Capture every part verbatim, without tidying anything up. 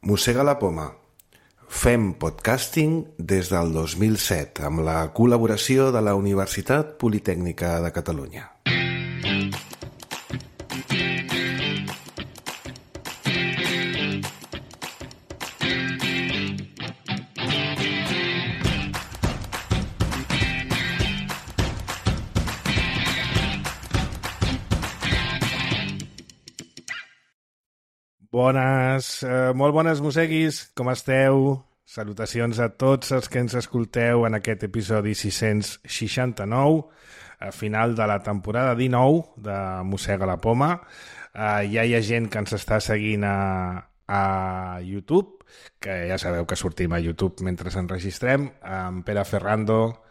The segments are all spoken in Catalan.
Mossega la poma. Fem podcasting des del dos mil set amb la col·laboració de la Universitat Politècnica de Catalunya. Bones, eh, molt bones mosseguis, com esteu? Salutacions a tots els que ens escolteu en aquest episodi sis-cents seixanta-nou, a final de la temporada dinou de Mossega la Poma. Eh, ja hi ha gent que ens està seguint a, a YouTube, que ja sabeu que sortim a YouTube mentre ens enregistrem. En Pere Ferrando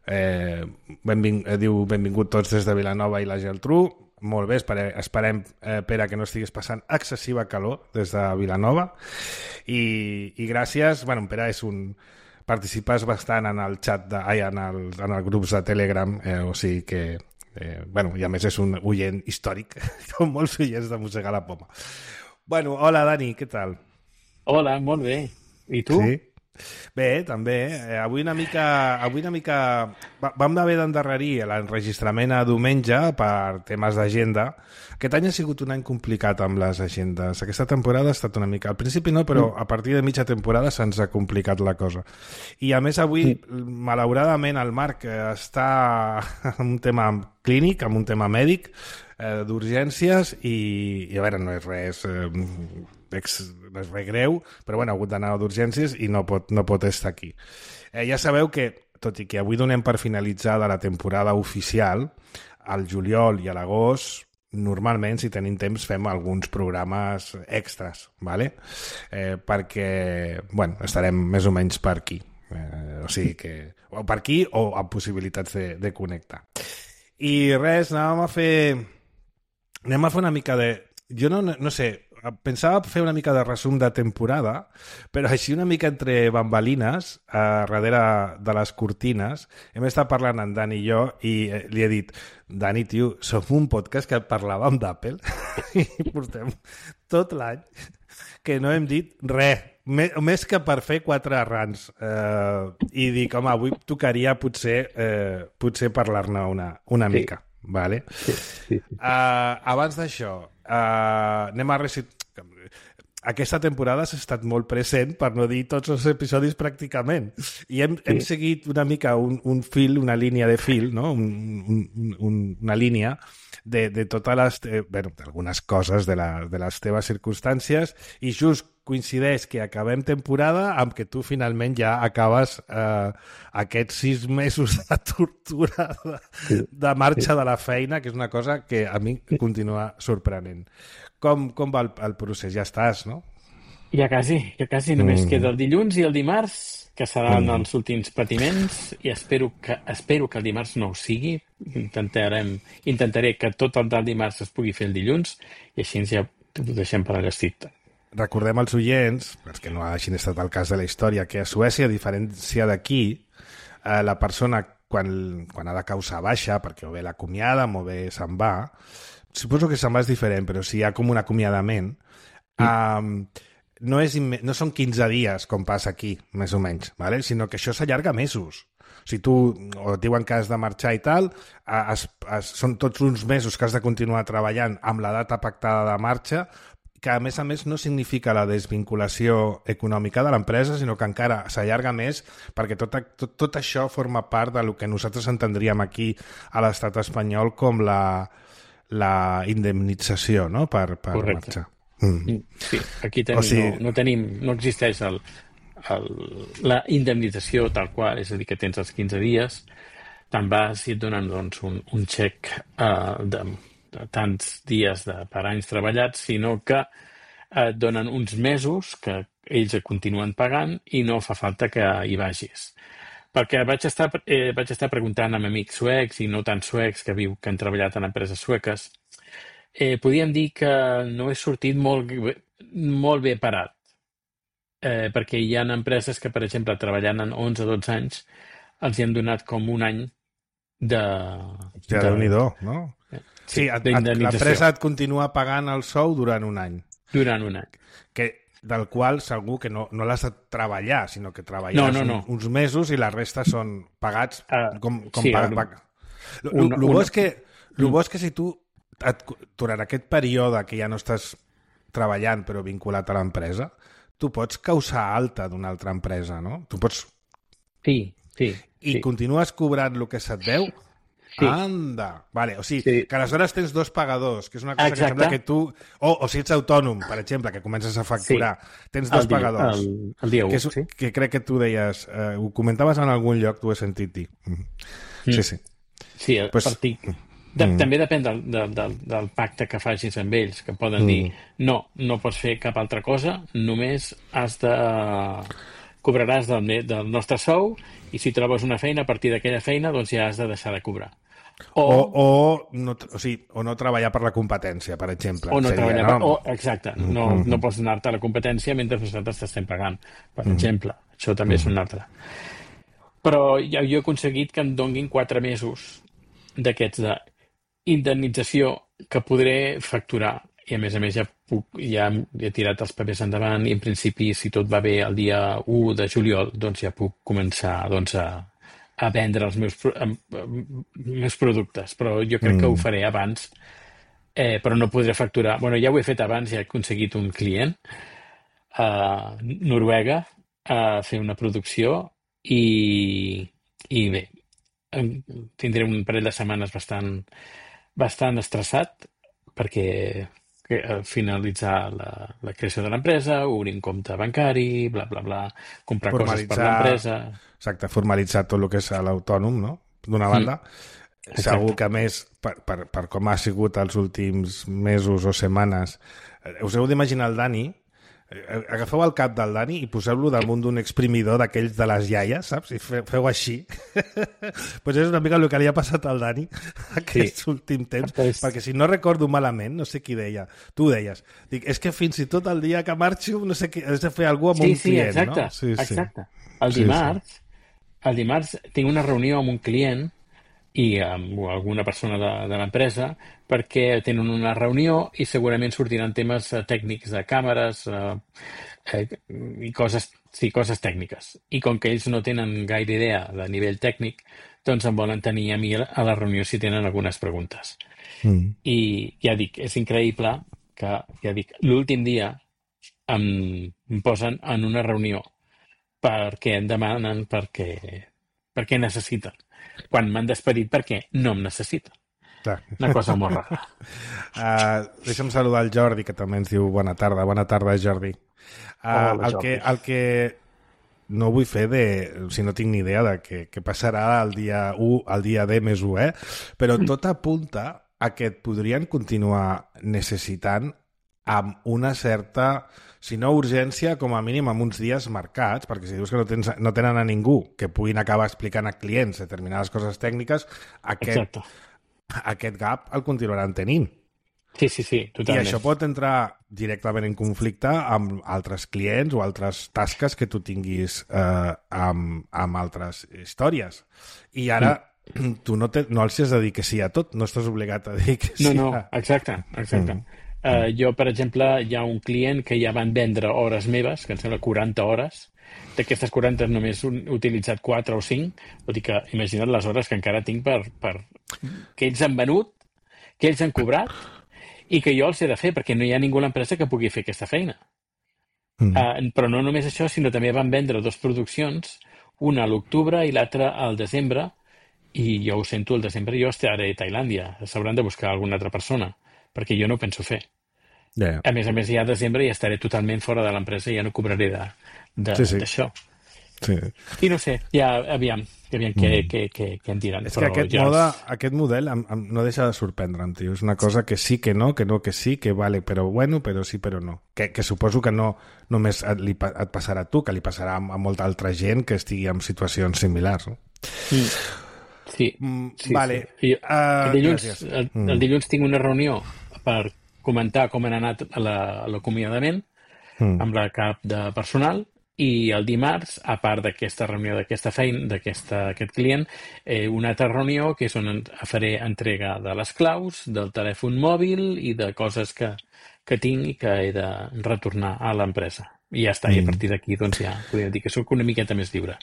eh, benving, eh, diu benvingut tots des de Vilanova i la Geltrú. Molt bé, esperem, esperem eh, Pere, que no estiguis passant excessiva calor des de Vilanova. I, i gràcies. Bueno, Pere és un... participes bastant en el xat, de, ai, en, el, en els grups de Telegram, eh, o sigui que... Eh, bueno, i a més és un oient històric, com molts oients de Mossegar la Poma. Bueno, hola Dani, què tal? Hola, molt bé. I tu? Sí? Bé, també. Eh, avui una mica... Avui una mica... Va, vam haver d'endarrerir l'enregistrament a diumenge per temes d'agenda. Aquest any ha sigut un any complicat amb les agendes. Aquesta temporada ha estat una mica... Al principi no, però a partir de mitja temporada se'ns ha complicat la cosa. I a més avui, malauradament, el Marc està en un tema clínic, en un tema mèdic, eh, d'urgències, i, i a veure, no és res... Eh, ex, no és res greu, però bueno, ha hagut d'anar d'urgències i no pot, no pot estar aquí. Eh, ja sabeu que, tot i que avui donem per finalitzada la temporada oficial, al juliol i a l'agost, normalment, si tenim temps, fem alguns programes extras, ¿vale? eh, perquè bueno, estarem més o menys per aquí. Eh, o sigui que o per aquí o amb possibilitats de, de connectar. I res, anàvem a fer... Anem a fer una mica de... Jo no, no sé... Pensava fer una mica de resum de temporada, però així una mica entre bambalines, a darrere de les cortines, hem estat parlant en Dani i jo i li he dit, Dani, tio, som un podcast que parlàvem d'Apple i portem tot l'any que no hem dit res, més que per fer quatre errants. Eh, I dic, home, avui tocaria potser, eh, potser parlar-ne una, una Sí. mica. Vale? Sí, sí, sí. Uh, abans d'això, uh, anem a recitar... Aquesta temporada s'ha estat molt present, per no dir tots els episodis pràcticament. I hem, sí. hem seguit una mica un, un fil, una línia de fil, no? un, un, un, una línia de, de totes les... Eh, bueno, d'algunes coses de, la, de les teves circumstàncies, i just coincideix que acabem temporada amb que tu finalment ja acabes eh, aquests sis mesos de tortura de, de marxa de la feina, que és una cosa que a mi continua sorprenent. Com, com va el, el procés? Ja estàs, no? Ja quasi, ja quasi. Només Mm. queda el dilluns i el dimarts, que seran Mm. els últims patiments, i espero que, espero que el dimarts no ho sigui. Intentarem, intentaré que tot el del dimarts es pugui fer el dilluns, i així ja ho deixem per allà. Recordem als oients, perquè no hagin estat el cas de la història, que a Suècia, a diferència d'aquí, eh, la persona, quan, quan ha de causar baixa, perquè o bé l'acomiaden o bé se'n va, suposo que se'n va és diferent, però si hi ha com un acomiadament, mm. eh, no, és imme- no són quinze dies, com passa aquí, més o menys, ¿vale? Sinó que això s'allarga mesos. Si tu o et diuen que has de marxar i tal, es, es, són tots uns mesos que has de continuar treballant amb la data pactada de marxa, que a més a més no significa la desvinculació econòmica de l'empresa, sinó que encara s'allarga més, perquè tot, tot, tot això forma part del que nosaltres entendríem aquí a l'estat espanyol com la, la indemnització, no?, per, per Correcte. marxar. Mm. Sí, aquí tenim, O sigui- no, no tenim, no existeix el, el, la indemnització tal qual, és a dir, que tens els quinze dies, te'n vas i et donen doncs, un, un xec uh, de, de tants dies de, per anys treballats, sinó que et donen uns mesos que ells et continuen pagant i no fa falta que hi vagis. Perquè vaig estar, eh, vaig estar preguntant amb amics suecs i no tan suecs que viu que han treballat en empreses sueques, eh, podíem dir que no he sortit molt, molt bé parat. Eh, perquè hi ha empreses que, per exemple, treballant en onze o dotze anys, els hi han donat com un any de... Ja, de Déu-n'hi-do, no? Sí, et, et, d'indemnització. l'empresa et continua pagant el sou durant un any. Durant un any. Que del qual segur que no, no l'has de treballar, sinó que treballes No, no, no. Un, uns mesos i la resta són pagats Uh, com, com sí, pag, un- pag... El una- bo una- és que, lo bo és que si tu, et, durant aquest període que ja no estàs treballant però vinculat a l'empresa, tu pots causar alta d'una altra empresa, no? Tu pots... Sí, sí. I sí. continues cobrant el que se't deu? Sí. Anda! Vale, o sigui, Sí. que aleshores tens dos pagadors, que és una cosa Exacte. que sembla que tu... O, o si ets autònom, per exemple, que comences a facturar, tens dos El dia- pagadors. El, el dia u, que, és, sí. que crec que tu deies, eh, ho comentaves en algun lloc, t'ho he sentit dir. Mm. Sí, sí. Sí, a Pues- partir... De, Mm. També depèn del, del, del, del pacte que facis amb ells, que poden dir no, no pots fer cap altra cosa, només has de... cobraràs del, me- del nostre sou i si trobes una feina, a partir d'aquella feina doncs ja has de deixar de cobrar. O, O, o, no, o, sigui, o no treballar per la competència, per exemple. o no seria, treballar... no? O, exacte, no, no pots anar-te a la competència mentre nosaltres t'estem pagant, per exemple. Això també és un altre. Però ja, jo he aconseguit que em donguin quatre mesos d'aquests d'indemnització que podré facturar i a més a més ja, puc, ja he tirat els papers endavant i en principi si tot va bé el dia u de juliol doncs ja puc començar doncs, a, a vendre els meus, pro- em- em- meus productes, però jo crec que ho faré abans, eh, però no podré facturar. Bueno, ja ho he fet abans, ja he aconseguit un client a Noruega a fer una producció i, i bé, em- tindré un parell de setmanes bastant, bastant estressat perquè que, eh, finalitzar la, la creació de l'empresa, obrir un compte bancari, bla, bla, bla, comprar coses per l'empresa. Exacte, formalitzar tot el que és l'autònom, no? D'una banda. Exacte. Segur que a més, per, per, per com ha sigut els últims mesos o setmanes, eh, us heu d'imaginar el Dani, eh, agafeu el cap del Dani i poseu-lo damunt d'un exprimidor d'aquells de les iaies, saps? I fe, feu així. Pues és una mica el que li ha passat al Dani aquests sí. últims temps, Pues... perquè si no recordo malament, no sé qui deia, tu ho deies, dic, és que fins i tot el dia que marxo, no sé què, has de fer alguna cosa amb sí, un sí, client, exacte, no? Sí, sí, exacte. El Sí, dimarts, el dimarts tinc una reunió amb un client i amb alguna persona de, de l'empresa perquè tenen una reunió i segurament sortiran temes eh, tècnics de càmeres eh, eh, i coses, sí, coses tècniques. I com que ells no tenen gaire idea de nivell tècnic, doncs em volen tenir a mi a la reunió si tenen algunes preguntes. Mm. I ja dic, és increïble que, ja dic, l'últim dia em, em posen en una reunió perquè em demanen perquè, perquè necessiten. Quan m'han despedit perquè no em necessiten. Clar. Una cosa molt rara. Uh, deixa'm saludar el Jordi, que també ens diu bona tarda. Bona tarda, Jordi. Uh, Hola, el, Jordi. que, el que no vull fer de... Si no tinc ni idea de què, què passarà el dia u, el dia D més u, eh? Però tot apunta a que et podrien continuar necessitant amb una certa, si no urgència, com a mínim amb uns dies marcats, perquè si dius que no, tens, no tenen a ningú que puguin acabar explicant a clients determinades coses tècniques, aquest, Exacte. aquest gap el continuaran tenint. Sí, sí, sí, I totalment. això pot entrar directament en conflicte amb altres clients o altres tasques que tu tinguis eh, amb, amb altres històries. I ara mm. tu no, te, no els has de dir que sí a tot, no estàs obligat a dir que sí No, no, a... exacte, exacte. Mm. Uh, jo, per exemple, hi ha un client que ja van vendre hores meves, que em sembla quaranta hores. D'aquestes quaranta només he utilitzat quatre o cinc. Vol dir que imagina't les hores que encara tinc per, per... que ells han venut, que ells han cobrat i que jo els he de fer, perquè no hi ha ningú a l'empresa que pugui fer aquesta feina. Mm. Uh, però no només això, sinó també van vendre dues produccions, una a l'octubre i l'altra al desembre, i jo ho sento, al desembre jo estaré a Tailàndia. S'hauran de buscar alguna altra persona, perquè jo no ho penso fer. Yeah. A més a més, ja a desembre ja estaré totalment fora de l'empresa i ja no cobraré d'això. Sí, sí. Sí. I no sé, ja, aviam, aviam què, mm. què, què, què em diran. És que aquest, ja moda, és... aquest model em, em, no deixa de sorprendre'm, tio. És una cosa que sí, que no, que no, que sí, que vale, però bueno, però sí, però no. Que, que suposo que no només et, li, et passarà a tu, que li passarà a, a molta altra gent que estigui en situacions similars. No? Mm. Sí, mm, sí, vale. Sí. I, uh, el, dilluns, el, mm. el dilluns tinc una reunió per comentar com han anat a l'acomiadament mm. amb la cap de personal i el dimarts, a part d'aquesta reunió d'aquesta feina, d'aquest client, eh, una altra reunió que és on faré entrega de les claus, del telèfon mòbil i de coses que, que tinc i que he de retornar a l'empresa. I ja està, mm. i a partir d'aquí doncs ja podríem dir que soc una miqueta més lliure.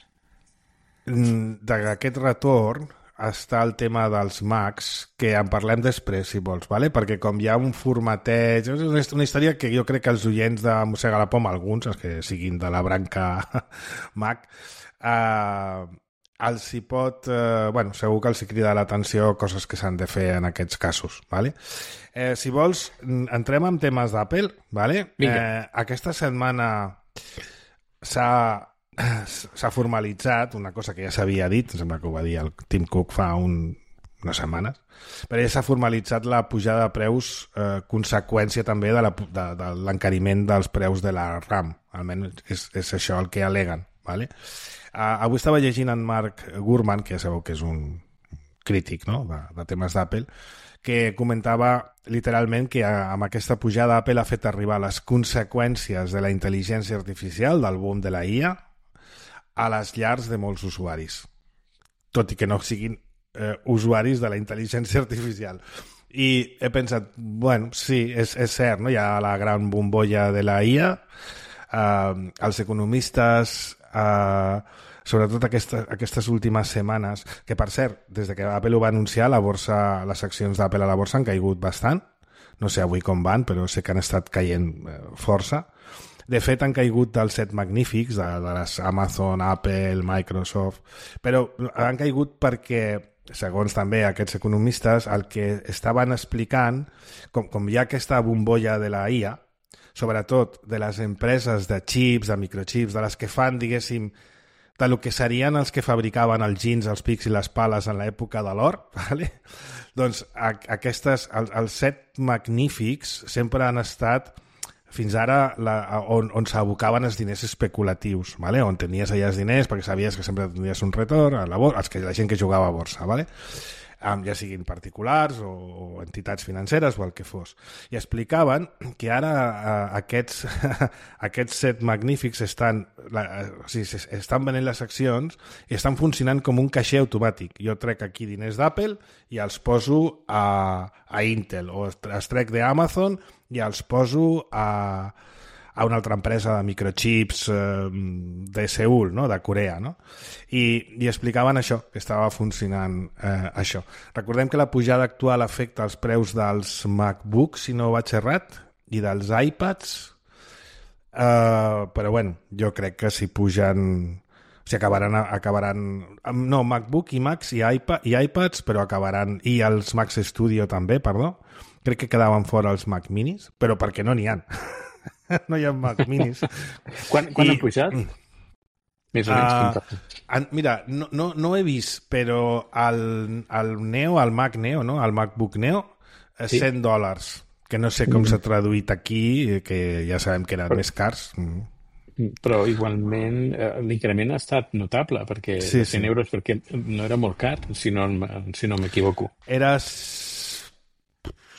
D'aquest retorn està el tema dels Macs, que en parlem després, si vols, vale? Perquè com hi ha un formateig... És una història que jo crec que els oients de Mossega la Poma, alguns, els que siguin de la branca Mac, eh, els hi pot... Eh, bueno, segur que els hi crida l'atenció coses que s'han de fer en aquests casos, vale? Eh, si vols, entrem en temes d'Apple, vale? Eh, aquesta setmana s'ha... s'ha formalitzat una cosa que ja s'havia dit, em sembla que ho va dir el Tim Cook fa un, unes setmanes, però ja s'ha formalitzat la pujada de preus, eh, conseqüència també de, la, de, de l'encariment dels preus de la RAM, almenys és, és això el que aleguen, vale? Uh, avui estava llegint en Mark Gurman, que ja sabeu que és un crític, no?, de, de temes d'Apple, que comentava literalment que amb aquesta pujada Apple ha fet arribar les conseqüències de la intel·ligència artificial, del boom de la I A, a les llars de molts usuaris, tot i que no siguin eh, usuaris de la intel·ligència artificial. I he pensat, bueno, sí, és, és cert, no? Hi ha la gran bombolla de la I A, eh, els economistes, eh, sobretot aquesta, aquestes últimes setmanes, que per cert, des de que Apple ho va anunciar, la borsa, les accions d'Apple a la borsa han caigut bastant, no sé avui com van, però sé que han estat caient eh, força. De fet, han caigut dels set magnífics, de, de les Amazon, Apple, Microsoft, però han caigut perquè, segons també aquests economistes, el que estaven explicant, com, com hi ha aquesta bombolla de la I A, sobretot de les empreses de xips, de microchips, de les que fan, diguéssim, de lo que serien els que fabricaven els jeans, els pics i les pales en l'època de l'or, ¿vale? Doncs a, aquestes, els, els set magnífics sempre han estat fins ara la, on, on s'abocaven els diners especulatius, ¿vale? On tenies allà els diners perquè sabies que sempre tindries un retorn, a la, borsa, els que, la gent que jugava a borsa, ¿vale? Um, ja siguin particulars o, o entitats financeres o el que fos. I explicaven que ara uh, aquests, aquests set magnífics estan, la, o sigui, estan venent les accions i estan funcionant com un caixer automàtic. Jo trec aquí diners d'Apple i els poso a, a Intel, o els trec d'Amazon i els poso a, a una altra empresa de microchips eh, de Seül, no? De Corea, no? I, i explicaven això, que estava funcionant eh, això. Recordem que la pujada actual afecta els preus dels MacBooks, si no vaig errat, i dels iPads, eh, però bueno, jo crec que si pugen... O sigui, acabaran... acabaran no, MacBook i Macs i, iPad, i iPads, però acabaran... I els Macs Studio també, perdó. Crec que quedaven fora els Mac Minis, però perquè no n'hi ha. No hi ha Mac Minis. Quan, quan I, han pujat? Més o menys. Uh, en, mira, no, no, no he vist, però el, el Neo, el Mac Neo, no? El MacBook Neo, sí? cent dòlars, que no sé com mm. s'ha traduït aquí, que ja sabem que eren però, més cars. Mm. Però igualment eh, l'increment ha estat notable, perquè sí, cent sí. euros, perquè no era molt car, si no, si no m'equivoco. Era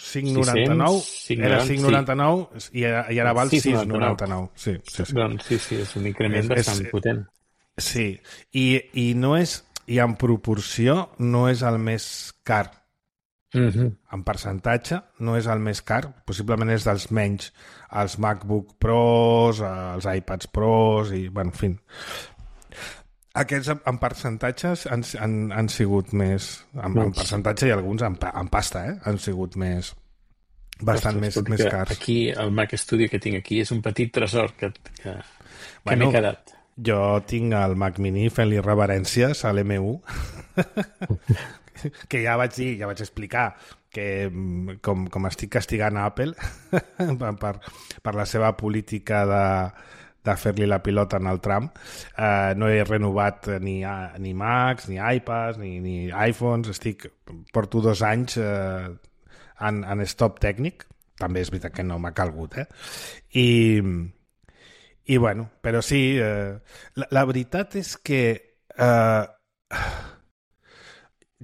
cinc noranta-nou, era cinc noranta-nou sí. i, i ara val sis noranta-nou. Sí, sí, sí. Doncs sí, sí, és un increment és, bastant és, potent. Sí, i, i no és, i en proporció no és el més car. Uh-huh. En percentatge no és el més car, possiblement és dels menys, els MacBook Pros, els iPads Pros i, bueno, en fi. Aquests en percentatges han, han, han sigut més... En, en percentatge i alguns en, en pasta, eh? Han sigut més... Bastant Ostres, més, més cars. Aquí, el Mac Studio que tinc aquí és un petit tresor que, que, que bueno, m'he quedat. Jo tinc el Mac Mini fent-li reverències a l'M u, que ja vaig dir, ja vaig explicar que com, com estic castigant a Apple per, per la seva política de... de fer-li la pilota en el tram, eh, no he renovat ni, ni Macs, ni iPads, ni, ni iPhones, estic, porto dos anys eh, en, en stop tècnic, també és veritat que no m'ha calgut, eh? I, i bueno, però sí, eh, la, la veritat és que eh,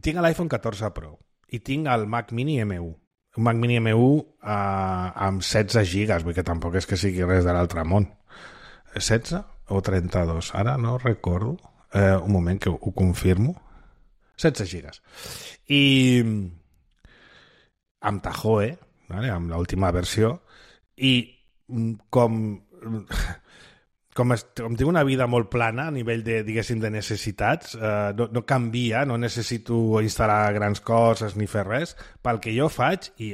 tinc l'iPhone catorze Pro i tinc el Mac Mini M u. Un Mac Mini M u eh, amb setze gigas, vull que tampoc és que sigui res de l'altre món. setze o trenta-dos? Ara no recordo. Eh, un moment que ho, ho confirmo. setze gigas. I amb Tahoe, vale? Amb l'última versió, i com com, es, com tinc una vida molt plana a nivell de, diguéssim, de necessitats, eh, no, no canvia, no necessito instal·lar grans coses ni fer res, pel que jo faig, i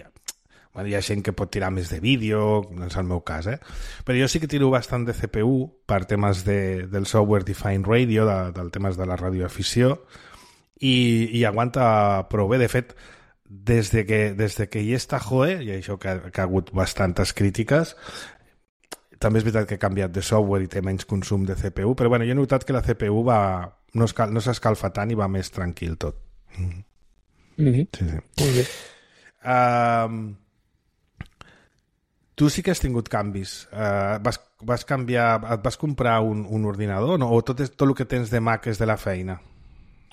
bueno, hi ha gent que pot tirar més de vídeo, no és el meu cas, eh? Però jo sí que tiro bastant de C P U per temes de, del software Defined Radio, de, del temes de la radioafició, i, i aguanta prou bé. De fet, des de que, des de que hi està Joe, i això que, que ha hagut bastantes crítiques, també és veritat que ha canviat de software i té menys consum de C P U, però bueno, jo he notat que la C P U va, no, escal, no s'escalfa tant i va més tranquil tot. Mm. Mm-hmm. Sí, sí. Molt bé. Um, tu sí que has tingut canvis. Uh, vas, vas canviar, et vas comprar un, un ordinador, no? O tot, és, tot el que tens de Mac és de la feina?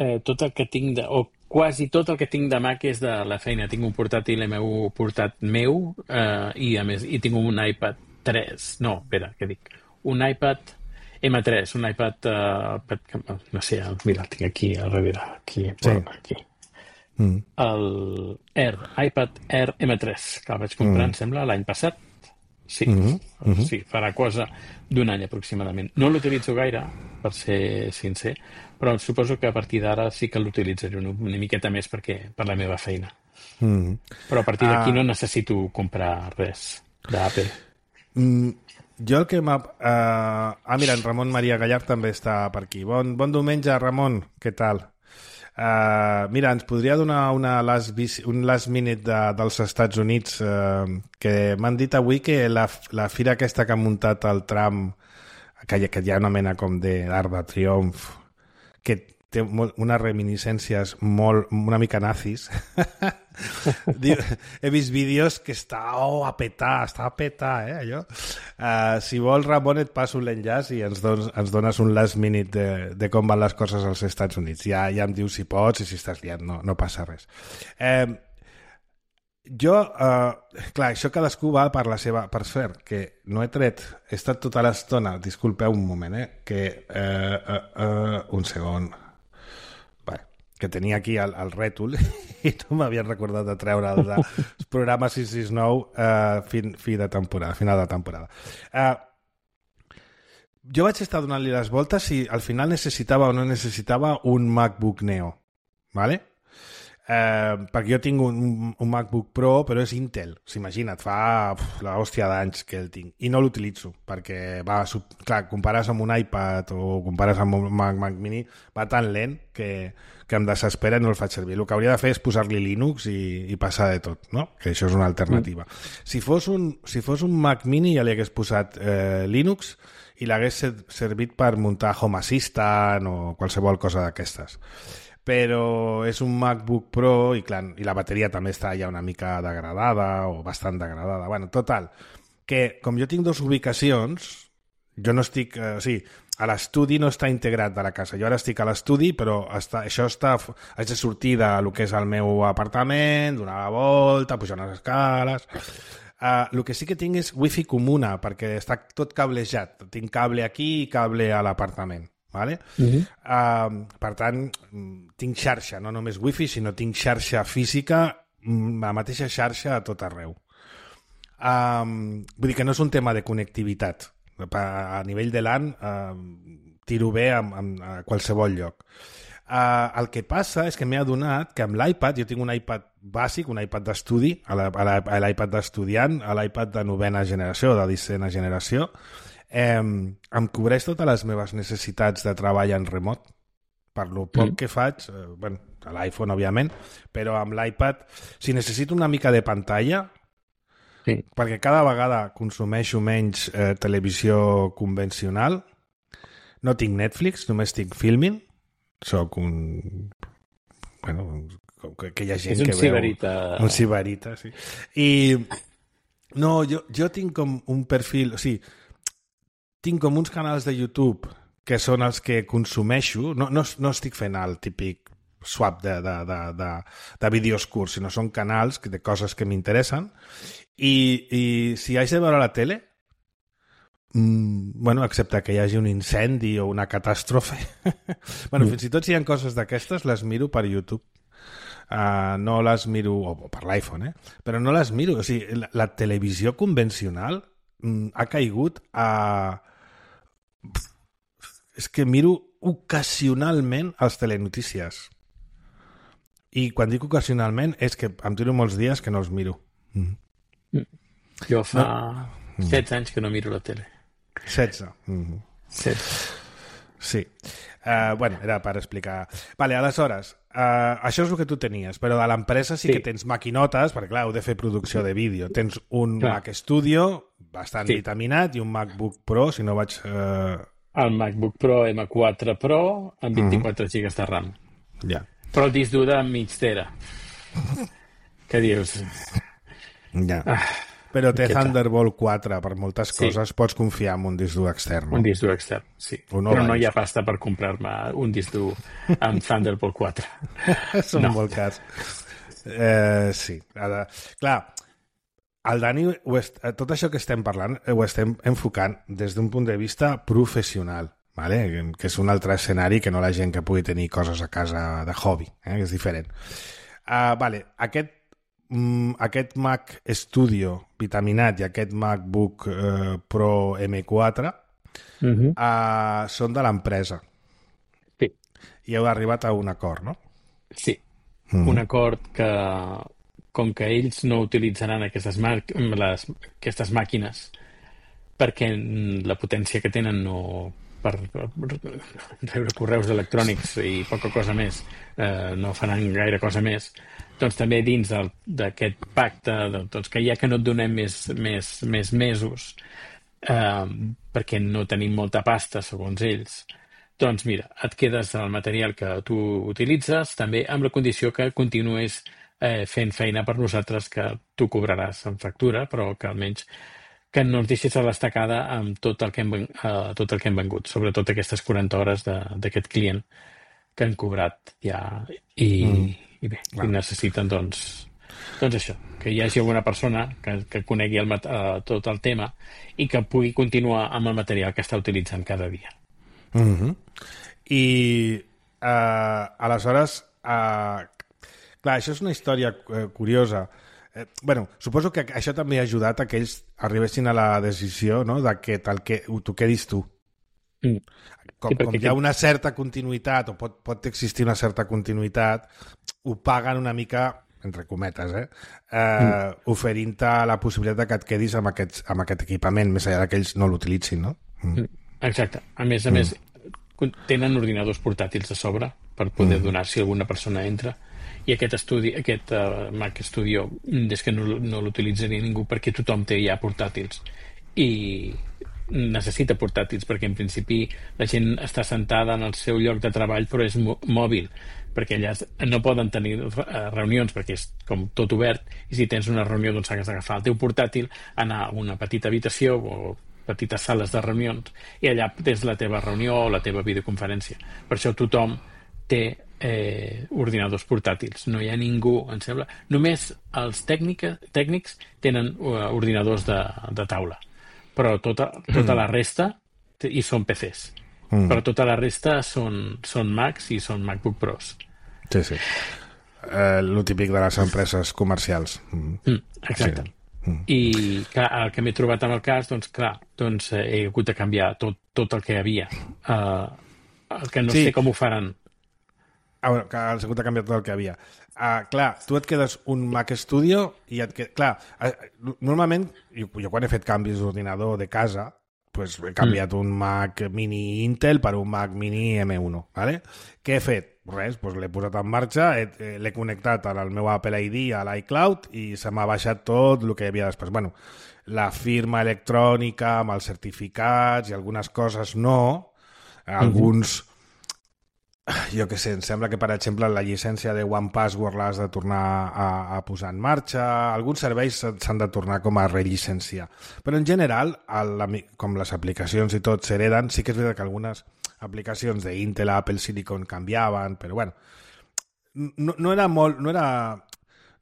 Eh, tot el que tinc, de, o quasi tot el que tinc de Mac és de la feina. Tinc un portàtil M U portat meu eh, i a més i tinc un iPad tres. No, espera, què dic? Un iPad M tres, un iPad, eh, no sé, mira, el tinc aquí a darrere, aquí, sí. aquí. Mm. El Air, iPad Air M tres, que el vaig comprar, mm. em sembla, l'any passat. Sí, mm-hmm. Mm-hmm. Sí, farà cosa d'un any aproximadament. No l'utilitzo gaire, per ser sincer, però suposo que a partir d'ara sí que l'utilitzaré una, una miqueta més perquè per la meva feina. Mm-hmm. Però a partir d'aquí ah. no necessito comprar res d'Apple. Mm, jo el que m'ha... Uh, ah, mira, en Ramon Maria Gallard també està per aquí. Bon, bon diumenge, Ramon, què tal? Uh, mira, ens podria donar una last, un last minute de, dels Estats Units, uh, que m'han dit avui que la, la fira aquesta que ha muntat el Trump, que hi, que hi ha una mena com d'art de triomf, que té molt, unes reminiscències molt, una mica nazis. He vist vídeos que està oh, a petar, està a petar, eh, allò. Uh, si vols, Ramon, et passo l'enllaç i ens dones, ens dones un last minute de, de com van les coses als Estats Units. Ja, ja em dius si pots i si estàs liat, no, no passa res. Eh, jo, uh, clar, això cadascú va per la seva... Per cert, que no he tret... He estat tota l'estona, disculpeu un moment, eh, que... Uh, uh, uh, un segon... que tenia aquí el, el rètol i no m'havien recordat de treure el de programa sis sis nou uh, fin, fi de temporada, final de temporada. Uh, jo vaig estar donant-li les voltes si al final necessitava o no necessitava un MacBook Neo, ¿vale? Uh, perquè jo tinc un, un MacBook Pro, però és Intel. S'imagina't, fa uf, la hòstia d'anys que el tinc. I no l'utilitzo, perquè va, sub, clar, compares amb un iPad o compares amb un Mac, Mac Mini, va tan lent que, que em desespera i no el faig servir. El que hauria de fer és posar-li Linux i, i passar de tot, no? Que això és una alternativa. Mm. Si fos un, si fos un Mac Mini ja li hagués posat eh, Linux i l'hagués servit per muntar Home Assistant o qualsevol cosa d'aquestes. Però és un MacBook Pro i, clar, i la bateria també està ja una mica degradada o bastant degradada. Bueno, total, que com jo tinc dues ubicacions, jo no estic... Eh, o sigui, a l'estudi no està integrat de la casa. Jo ara estic a l'estudi, però està, això està... Haig de sortir de lo que és el meu apartament, donar la volta, pujar unes escales... Uh, el que sí que tinc és wifi comuna, perquè està tot cablejat. Tinc cable aquí i cable a l'apartament. Vale? Uh-huh. Uh, per tant, tinc xarxa, no només wifi, sinó tinc xarxa física, la mateixa xarxa a tot arreu. Um, vull dir que no és un tema de connectivitat. A nivell de LAN uh, tiro bé a, a, a qualsevol lloc. Uh, el que passa és que m'he adonat que amb l'iPad, jo tinc un iPad bàsic, un iPad d'estudi, a l'iPad d'estudiant, a l'iPad de novena generació, de disena generació, Eh, em cobreix totes les meves necessitats de treball en remot per lo poc mm. que faig, eh, bueno, a l'iPhone òbviament, però amb l'iPad si necessito una mica de pantalla sí. perquè cada vegada consumeixo menys eh, televisió convencional, no tinc Netflix, només tinc Filmin, soc un bueno, que, que hi ha gent és un que ciberita. veu un ciberita, sí. I no, jo, jo tinc com un perfil, o sigui tinc com uns canals de YouTube que són els que consumeixo. No, no, no estic fent el típic swap de, de, de, de, de vídeos curts, sinó són canals de coses que m'interessen. I, I si haig de veure la tele, mmm, bueno, excepte que hi hagi un incendi o una catàstrofe, bueno, mm. fins i tot si hi ha coses d'aquestes, les miro per YouTube. Uh, no les miro, o per l'iPhone, eh? Però no les miro. O sigui, la, la televisió convencional mm, ha caigut a... És que miro ocasionalment els telenotícies. I quan dic ocasionalment és que em tiro molts dies que no els miro. Mm. Jo fa no. setze anys que no miro la tele. setze. Mm. setze. Sí. Uh, bueno, era per explicar. Vale, aleshores, uh, això és el que tu tenies, però a l'empresa sí, sí que tens maquinotes, perquè clar, heu de fer producció de vídeo. Tens un clar. Mac Studio bastant sí. vitaminat i un MacBook Pro, si no vaig... Uh... El MacBook Pro M quatre Pro amb vint-i-quatre uh-huh. gigas de RAM. Ja. Yeah. Però el disc dur de mig tera. Què dius? Ja. Ah, però té Thunderbolt quatre per moltes coses, sí. Pots confiar en un disc dur extern. No? Un disc dur extern, sí. No però no hi ha pasta per comprar-me un disc dur amb Thunderbolt quatre. Són no. molt cars. Eh, sí. Ara, clar, el Dani, est... tot això que estem parlant ho estem enfocant des d'un punt de vista professional. Vale? Que és un altre escenari que no la gent que pugui tenir coses a casa de hobby, eh? Que és diferent. Uh, vale. aquest, mm, aquest Mac Studio vitaminat i aquest MacBook uh, Pro M quatre uh-huh. uh, són de l'empresa. Sí. I heu arribat a un acord, no? Sí. Uh-huh. Un acord que, com que ells no utilitzaran aquestes, mar... les... aquestes màquines perquè la potència que tenen no... per rebre correus electrònics i poca cosa més, eh, no faran gaire cosa més, doncs també dins del, d'aquest pacte doncs que ja que no et donem més, més, més mesos eh, perquè no tenim molta pasta segons ells, doncs mira, et quedes el material que tu utilitzes també amb la condició que continues eh, fent feina per nosaltres, que tu cobraràs en factura, però que almenys que no ens deixis a l'estacada amb tot el que hem, uh, tot el que hem vengut, sobretot aquestes quaranta hores de, d'aquest client que han cobrat ja i, mm. i bé, i necessiten doncs, doncs això, que hi hagi alguna persona que, que conegui el, uh, tot el tema i que pugui continuar amb el material que està utilitzant cada dia. Mm-hmm. I uh, aleshores uh, clar, això és una història uh, curiosa. Eh, bueno, suposo que això també ha ajudat a que ells arribessin a la decisió, no?, de que tal que tu quedis tu. Mm. Com, sí, com hi ha una certa continuïtat, o pot, pot existir una certa continuïtat, ho paguen una mica, entre cometes, eh? eh mm. oferint-te la possibilitat de que et quedis amb, aquests, amb aquest equipament, més enllà que ells no l'utilitzin, no? Mm. Exacte. A més a mm. més, tenen ordinadors portàtils a sobre per poder mm. donar si alguna persona entra. I aquest estudi, aquest uh, Mac Studio és que no, no l'utilitzaria ningú perquè tothom té ja portàtils i necessita portàtils perquè en principi la gent està sentada en el seu lloc de treball però és mòbil perquè allà no poden tenir uh, reunions perquè és com tot obert i si tens una reunió doncs has d'agafar el teu portàtil, anar a una petita habitació o petites sales de reunions i allà tens la teva reunió o la teva videoconferència. Per això tothom té eh, ordinadors portàtils. No hi ha ningú, em sembla. Només els tècnica, tècnics tenen uh, ordinadors de, de taula. Però tota, tota mm. la resta i són P Cs. Mm. Però tota la resta són, són Macs i són MacBook Pros. Sí, sí. Eh, lo típic de les empreses comercials. Mm. Mm, exacte. Sí. Mm. I clar, el que m'he trobat amb el cas, doncs clar, doncs eh, he hagut de canviar tot, tot el que hi havia. Uh, el que no sí. sé com ho faran. Ah, bueno, que has hagut de canviar tot el que hi havia. Uh, clar, tu et quedes un Mac Studio i et quedes... Clar, uh, normalment, jo, jo quan he fet canvis d'ordinador de casa, pues he canviat mm. un Mac mini Intel per un Mac mini M uno, ¿vale? Què he fet? Res, pues l'he posat en marxa, he, l'he connectat al meu Apple I D a l'iCloud i se m'ha baixat tot el que hi havia després. Bueno, la firma electrònica amb els certificats i algunes coses no, alguns... Mm-hmm. Jo què sé, em sembla que, per exemple, la llicència de One Password l'has de tornar a, a posar en marxa. Alguns serveis s'han de tornar com a rellicenciar. Però, en general, el, com les aplicacions i tot s'hereden, sí que és veritat que algunes aplicacions d'Intel, Apple, Silicon canviaven, però, bueno, no, no era molt... No era,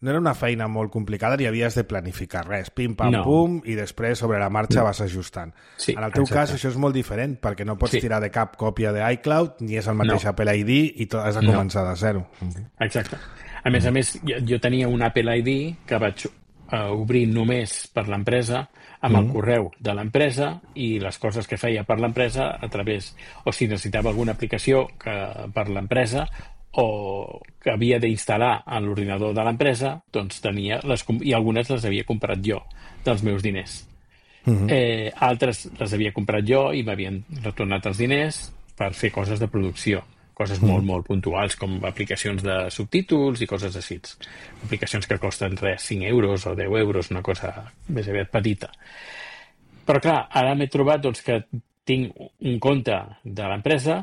no era una feina molt complicada ni havies de planificar res. Pim, pam, no. pum, i després sobre la marxa no. vas ajustant. Sí, en el teu exacte. cas això és molt diferent perquè no pots sí. tirar de cap còpia d'iCloud ni és el mateix no. Apple I D i tot has de començar no. de zero. Exacte. A més a més, jo, jo tenia un Apple I D que vaig uh, obrir només per l'empresa, amb el correu de l'empresa i les coses que feia per l'empresa a través, o si necessitava alguna aplicació que, per l'empresa o que havia d'instal·lar a l'ordinador de l'empresa, doncs tenia les, i algunes les havia comprat jo dels meus diners. Uh-huh. eh, altres les havia comprat jo i m'havien retornat els diners per fer coses de producció, coses uh-huh. molt, molt puntuals, com aplicacions de subtítols i coses així. Aplicacions que costen res, cinc euros o deu euros, una cosa més aviat petita. Però clar, ara m'he trobat doncs, que tinc un compte de l'empresa,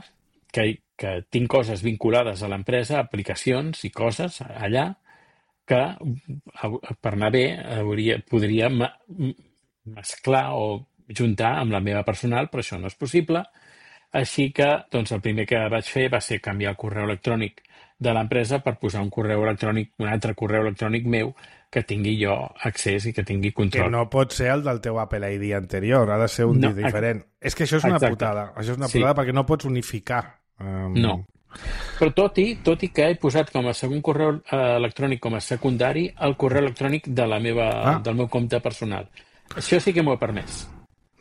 que, que tinc coses vinculades a l'empresa, aplicacions i coses allà, que per anar bé hauria, podria mesclar o juntar amb la meva personal, però això no és possible. Així que doncs, el primer que vaig fer va ser canviar el correu electrònic de l'empresa per posar un correu electrònic, un altre correu electrònic meu que tingui jo accés i que tingui control. Que no pot ser el del teu Apple I D anterior, ha de ser un no, diferent. És que això és una exacte. putada. Això és una putada sí. perquè no pots unificar. Um... No. Però tot i, tot i que he posat com a segon correu eh, electrònic com a secundari el correu electrònic de la meva, ah. del meu compte personal. Això sí que m'ho he permès.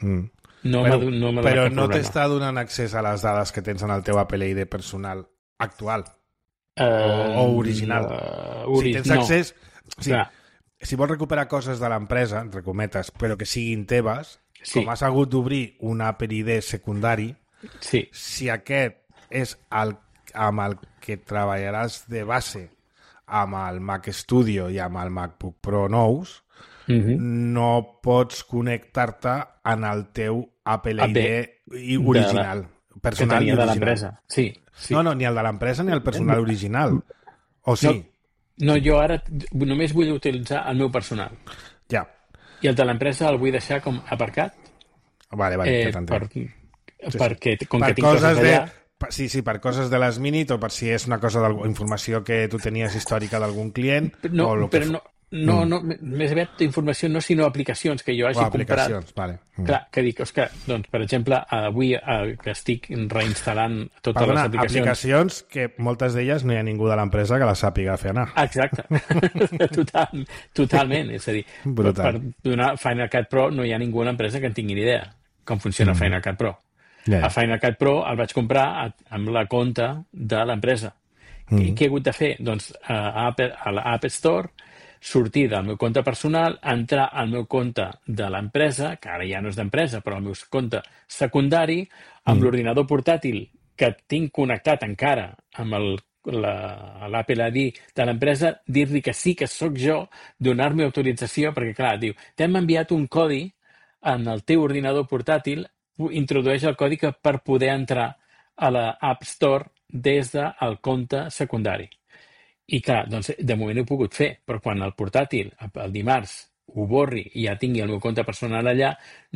Mm. No però no, però no t'està donant accés a les dades que tens en el teu Apple I D personal actual uh, o, o original. Uh, ori... Si tens accés... No. Sí, si vols recuperar coses de l'empresa, entre cometes, però que siguin teves, sí. com has hagut d'obrir un Apple I D secundari, sí. si aquest és el, amb el que treballaràs de base amb el Mac Studio i amb el MacBook Pro nous, Uh-huh. no pots connectar-te en el teu Apple I D original, de la, personal que i original. De l'empresa. Sí, sí. No, no, ni el de l'empresa ni el personal original. O sí? No, no, jo ara només vull utilitzar el meu personal. Ja. I el de l'empresa el vull deixar com aparcat. Vale, vale, eh, per, sí, perquè com per que tinc coses allà... De, sí, sí, per coses de les Minute o per si és una cosa d'informació que tu tenies històrica d'algun client. No, o lo però que... no... No, no, més aviat informació no, sinó aplicacions que jo hagi oh, comprat. Vale. Mm. Clar, que dic, Òscar, doncs, per exemple, avui eh, que estic reinstal·lant totes Perdona, les aplicacions... aplicacions que moltes d'elles no hi ha ningú de l'empresa que les sàpiga fer anar. Exacte. Total, totalment. És a dir, brutal. Per donar Final Cut Pro no hi ha ningú a l'empresa que en tingui ni idea com funciona mm. Final Cut Pro. Yeah. A Final Cut Pro el vaig comprar amb la compte de l'empresa. Mm. I què he hagut de fer? Doncs a, Apple, a l'App Store sortir del meu compte personal, entrar al meu compte de l'empresa, que ara ja no és d'empresa, però el meu compte secundari, amb mm. l'ordinador portàtil que tinc connectat encara amb el, la, l'Apple I D de l'empresa, dir-li que sí que sóc jo, donar-me autorització, perquè clar, diu, t'hem enviat un codi en el teu ordinador portàtil, introdueix el codi que per poder entrar a l'App Store des del compte secundari. I clar, doncs de moment ho he pogut fer, però quan el portàtil, el dimarts, ho borri i ja tingui el meu compte personal allà,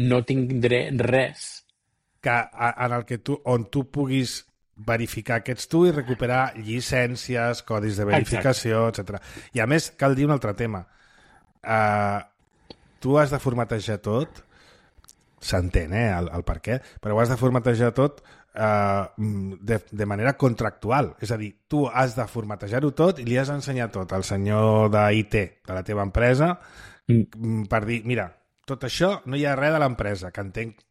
no tindré res. Que en el que tu, on tu puguis verificar que ets tu i recuperar llicències, codis de verificació, etcètera. I a més, cal dir un altre tema. Uh, tu has de formatejar tot, s'entén, eh, el, el per què, però ho has de formatejar tot Uh, de, de manera contractual. És a dir, tu has de formatejar-ho tot i li has d'ensenyar tot al senyor d'I T de la teva empresa mm. per dir, mira, tot això no hi ha res de l'empresa, que entenc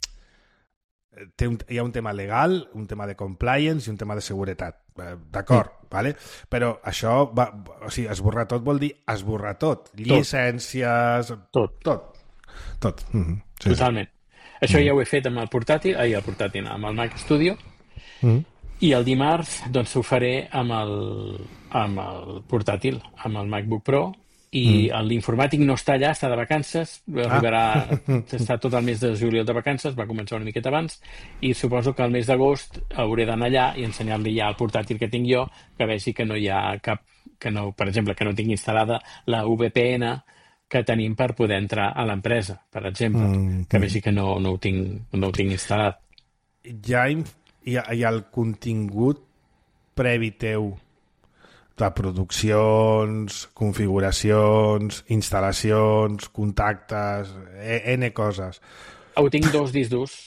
té un, hi ha un tema legal, un tema de compliance i un tema de seguretat. Uh, d'acord, mm. vale? Però això va, o sigui, esborrar tot vol dir esborrar tot. Llicències... Tot. Tot. Tot. Mm-hmm. Sí, totalment. Sí. Això ja ho he fet amb el portàtil, ai, el portàtil, amb el Mac Studio, mm. i el dimarts doncs ho faré amb el, amb el portàtil, amb el MacBook Pro, i mm. l'informàtic no està allà, està de vacances, arribarà, ah. està tot el mes de juliol de vacances, va començar una miqueta abans, i suposo que el mes d'agost hauré d'anar allà i ensenyar-li ja el portàtil que tinc jo, que vegi que no hi ha cap, que no, per exemple, que no tinc instal·lada la V P N que tenim per poder entrar a l'empresa, per exemple, mm, que vegi que no, no, ho tinc, no ho tinc instal·lat. Hi ha, hi ha, hi ha el contingut previ teu de produccions, configuracions, instal·lacions, contactes, N coses. Ho tinc dos discs durs.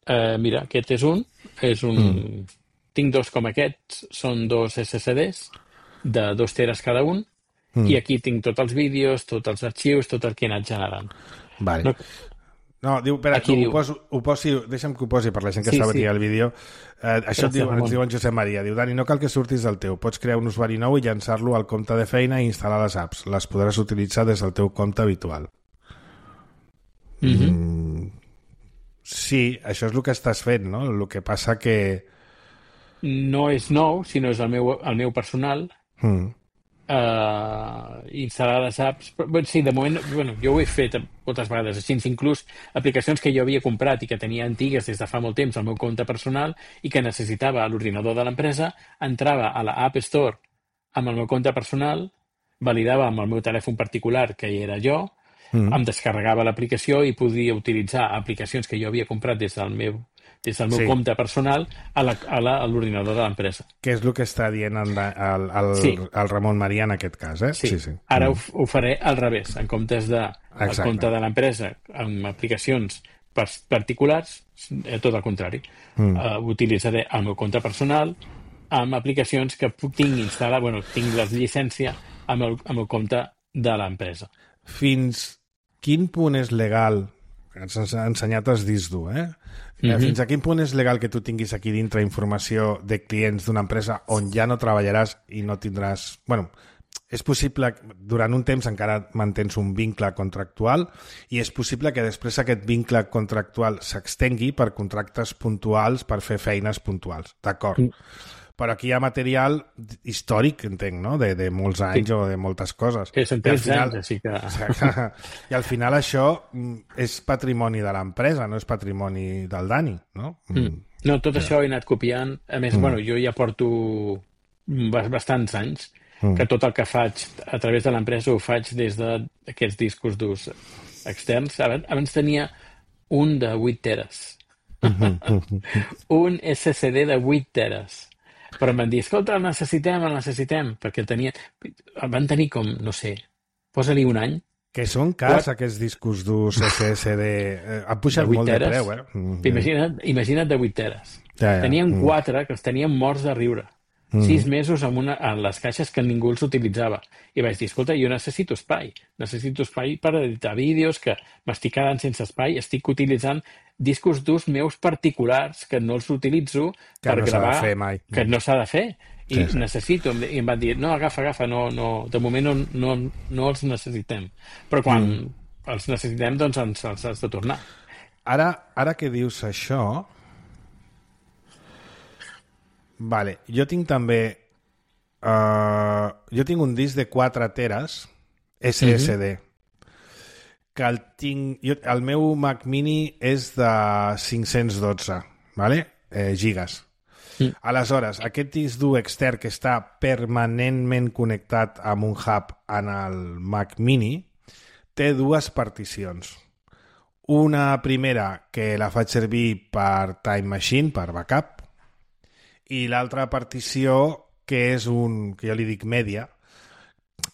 Uh, mira, aquest és un. És un... Mm. Tinc dos com aquests. Són dos S S Ds de dos teres cada un. mm. i aquí tinc tots els vídeos, tots els arxius, tot el que he anat generant. Vale. No, no diu, espera, aquí no, diu... Ho poso, ho posi, deixa'm que ho posi per la gent que sí, està sí. veient el vídeo. Eh, això et diu, ens diu en Josep Maria. Diu, Dani, no cal que surtis del teu. Pots crear un usuari nou i llançar-lo al compte de feina i instal·lar les apps. Les podràs utilitzar des del teu compte habitual. Mm-hmm. Mm, sí, això és el que estàs fent, no? El que passa que... No és nou, sinó és el meu, el meu personal. Mm. Uh, instal·lar les apps. Però, sí, de moment, bueno, jo ho he fet moltes vegades així, inclús aplicacions que jo havia comprat i que tenia antigues des de fa molt temps al meu compte personal i que necessitava a l'ordinador de l'empresa, entrava a la App Store amb el meu compte personal, validava amb el meu telèfon particular, que hi era jo, mm. em descarregava l'aplicació i podia utilitzar aplicacions que jo havia comprat des del meu des del meu sí. compte personal a l'ordinador de l'empresa. Que és el que està dient el, el, el, sí. el Ramon Maria en aquest cas, eh? Sí, sí, sí. mm. Ara ho, ho faré al revés. En comptes de el compte de l'empresa amb aplicacions particulars, eh, tot el contrari. Mm. Uh, utilitzaré el meu compte personal amb aplicacions que puc tinc instal·lar, bueno, tinc la llicència amb el, amb el compte de l'empresa. Fins quin punt és legal, ens ha ensenyat els discs dur, eh? Mm-hmm. Fins a quin punt és legal que tu tinguis aquí dintre informació de clients d'una empresa on ja no treballaràs i no tindràs... Bueno, és possible, durant un temps encara mantens un vincle contractual i és possible que després aquest vincle contractual s'extengui per contractes puntuals per fer feines puntuals, d'acord? Mm. Però aquí hi ha material històric, entenc, no? De, de molts anys sí. o de moltes coses. Sí, són tretze anys, així que... I al final això és patrimoni de l'empresa, no és patrimoni del Dani, no? Mm. No, tot sí. això he anat copiant. A més, mm. bueno, jo ja porto bastants anys mm. que tot el que faig a través de l'empresa ho faig des d'aquests discos durs externs. Abans tenia un de vuit teres. Un S S D de vuit teres. Però em van dir, escolta, el necessitem, el necessitem, perquè tenia... El van tenir com, no sé, posa-li un any. Que són cars, What? Aquests discos durs S S D. Eh, han pujat de molt teres. De preu, eh? Mm, imagina't, imagina't de vuit teres. Ja, ja. Tenien mm. quatre que els tenien morts de riure. Mm. Sis mesos amb una, en les caixes que ningú els utilitzava. I vaig dir, escolta, jo necessito espai. Necessito espai per editar vídeos, que m'estic quedant sense espai. Estic utilitzant discos durs meus particulars que no els utilitzo que per no gravar. S'ha de fer mai. Que no s'ha de fer. I sí, sí. necessito. I em van dir, no, agafa, agafa, no, no, de moment no, no, no els necessitem. Però quan mm. els necessitem, doncs ens, els has de tornar. Ara, ara que dius això... Vale, jo tinc també uh, jo tinc un disc de quatre teres S S D mm-hmm. que el tinc jo, el meu Mac Mini és de cinc-cents dotze vale? eh, gigas mm. Aleshores, aquest disc dur extern que està permanentment connectat amb un hub en el Mac Mini té dues particions. Una primera que la faig servir per Time Machine, per backup, i l'altra partició que és un, que jo li dic media,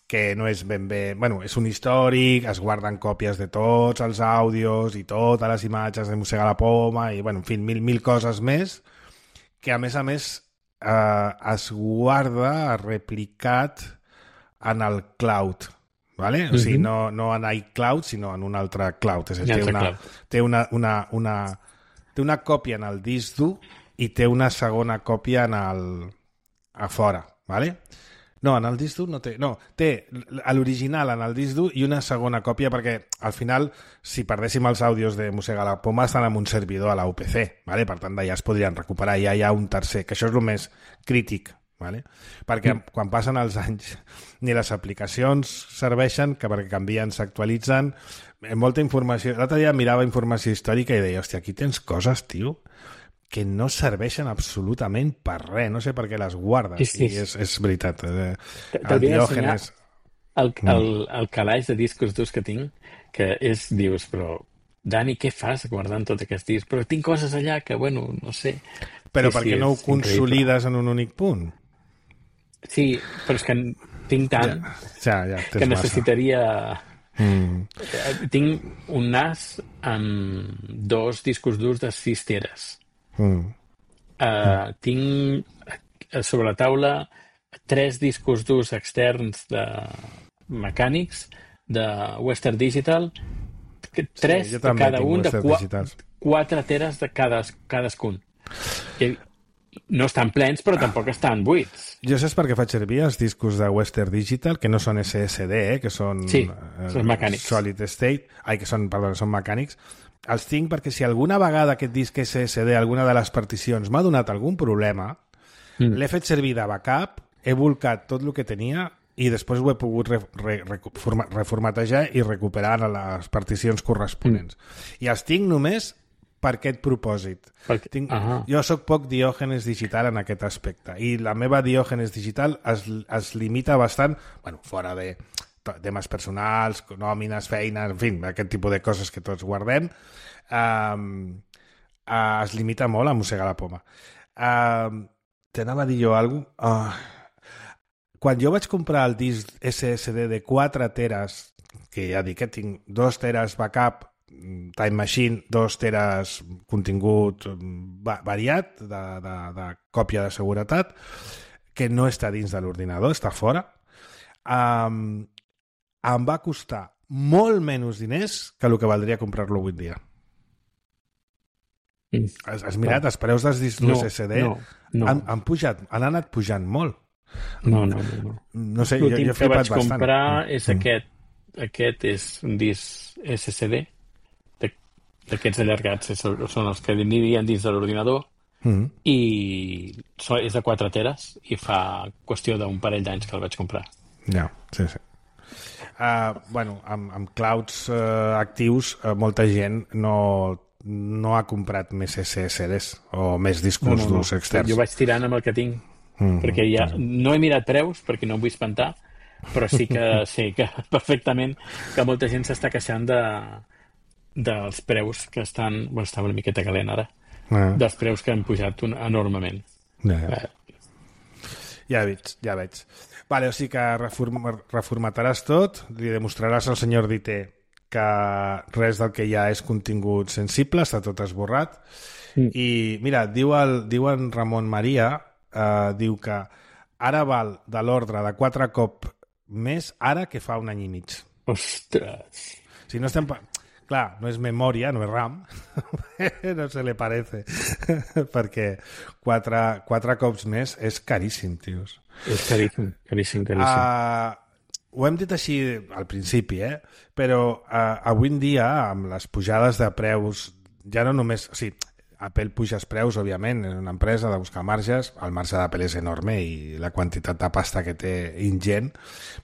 que no és ben bé... Bueno, és un històric, es guarden còpies de tots els àudios i totes les imatges de Mossegar la Poma i, bueno, en fi, mil, mil coses més, que a més a més eh, es guarda replicat en el cloud, ¿vale? O sigui, no, no en iCloud, sinó en un altre cloud. És a dir, té una, té una, una, una, té una còpia en el disc dur i té una segona còpia en el... a fora, ¿vale? No, en el disc dur no té... No, té l'original en el disc dur i una segona còpia perquè, al final, si perdéssim els àudios de Mossegar la Poma, estan en un servidor a la U P C, ¿vale? Per tant, d'allà es podrien recuperar. Ja hi ha un tercer, que això és el més crític, ¿vale? Perquè mm. quan passen els anys ni les aplicacions serveixen, que perquè canvien, s'actualitzen, molta informació... L'altre dia mirava informació històrica i deia, hòstia, aquí tens coses, tio, que no serveixen absolutament per res. No sé per què les guardes. Sí, sí. I és, és veritat. Eh, el Diògenes... El, el, el calaix de discos durs que tinc, que és, dius, però, Dani, què fas guardant tot aquest disc? Però tinc coses allà que, bueno, no sé... Però sí, per què sí, no ho consolides increïble. En un únic punt? Sí, però és que tinc tant ja, ja, ja, que necessitaria... Mm. Tinc un NAS amb dos discos durs de sis teres. Mm. Uh, tinc sobre la taula tres discos durs externs de, mecànics de Western Digital, tres sí, de cada un, de qu quatre teres de cades, cadascun. I no estan plens, però tampoc estan buits. Jo saps per què faig servir els discos de Western Digital, que no són S S D, eh, que són, sí, eh, són mecànics. Solid State, ai, que són, perdó, són mecànics. Els tinc perquè si alguna vegada aquest disc S S D, alguna de les particions, m'ha donat algun problema, mm. l'he fet servir de backup, he volcat tot el que tenia i després ho he pogut re, re, re, reformatejar i recuperar les particions corresponents. Mm. I els tinc només per aquest propòsit. Perquè... Tinc... Uh-huh. Jo sóc poc diògenes digital en aquest aspecte i la meva diògenes digital es, es limita bastant, bueno, fora de temes personals, nòmines, feines, en fi, aquest tipus de coses que tots guardem, um, uh, es limita molt a mossegar la poma. Uh, T'anava a dir jo alguna cosa? Uh, quan jo vaig comprar el disc S S D de quatre teres, que ja dic que tinc dos teres backup, Time Machine, dos teres contingut variat de, de, de còpia de seguretat, que no està dins de l'ordinador, està fora. Um, em va costar molt menys diners que el que valdria comprar-lo avui dia. Mm. Has, has mirat? No. Els preus dels discs no, S S D no, no. Han, han, pujat, han anat pujant molt. No, no, no. No, no sé, jo, jo he flipat bastant. L'últim que vaig comprar és mm. aquest. Aquest és un disc S S D. D'aquests allargats són els que anirien dins de l'ordinador mm. i és de quatre teres i fa qüestió d'un parell d'anys que el vaig comprar. Ja, sí, sí. Uh, bueno, amb, amb clouds uh, actius uh, molta gent no, no ha comprat més S S Ds o més discos no, no, durs no. externs. Jo vaig tirant amb el que tinc mm. perquè ja no he mirat preus perquè no em vull espantar, però sí que sé que perfectament que molta gent s'està queixant de dels preus que estan... Bueno, està una miqueta calent ara. Ah. Dels preus que han pujat un, enormement. Ja, ja. Eh. ja veig, ja veig. Vale, o sigui que reform, reformataràs tot, li demostraràs al senyor Dité que res del que hi ha és contingut sensible, està tot esborrat. Mm. I, mira, diu, el, diu en Ramon Maria, eh, diu que ara val de l'ordre de quatre cop més ara que fa un any i mig. Ostres! Si no estem... Clar, no és memòria, no és RAM, no se li parece, perquè quatre, quatre cops més és caríssim, tios. És caríssim, caríssim, caríssim. Uh, ho hem dit així al principi, eh? Però uh, avui en dia, amb les pujades de preus, ja no només... O sigui, Apple puja els preus, òbviament, és una empresa de buscar marges, el marge d'Apple és enorme i la quantitat de pasta que té ingent,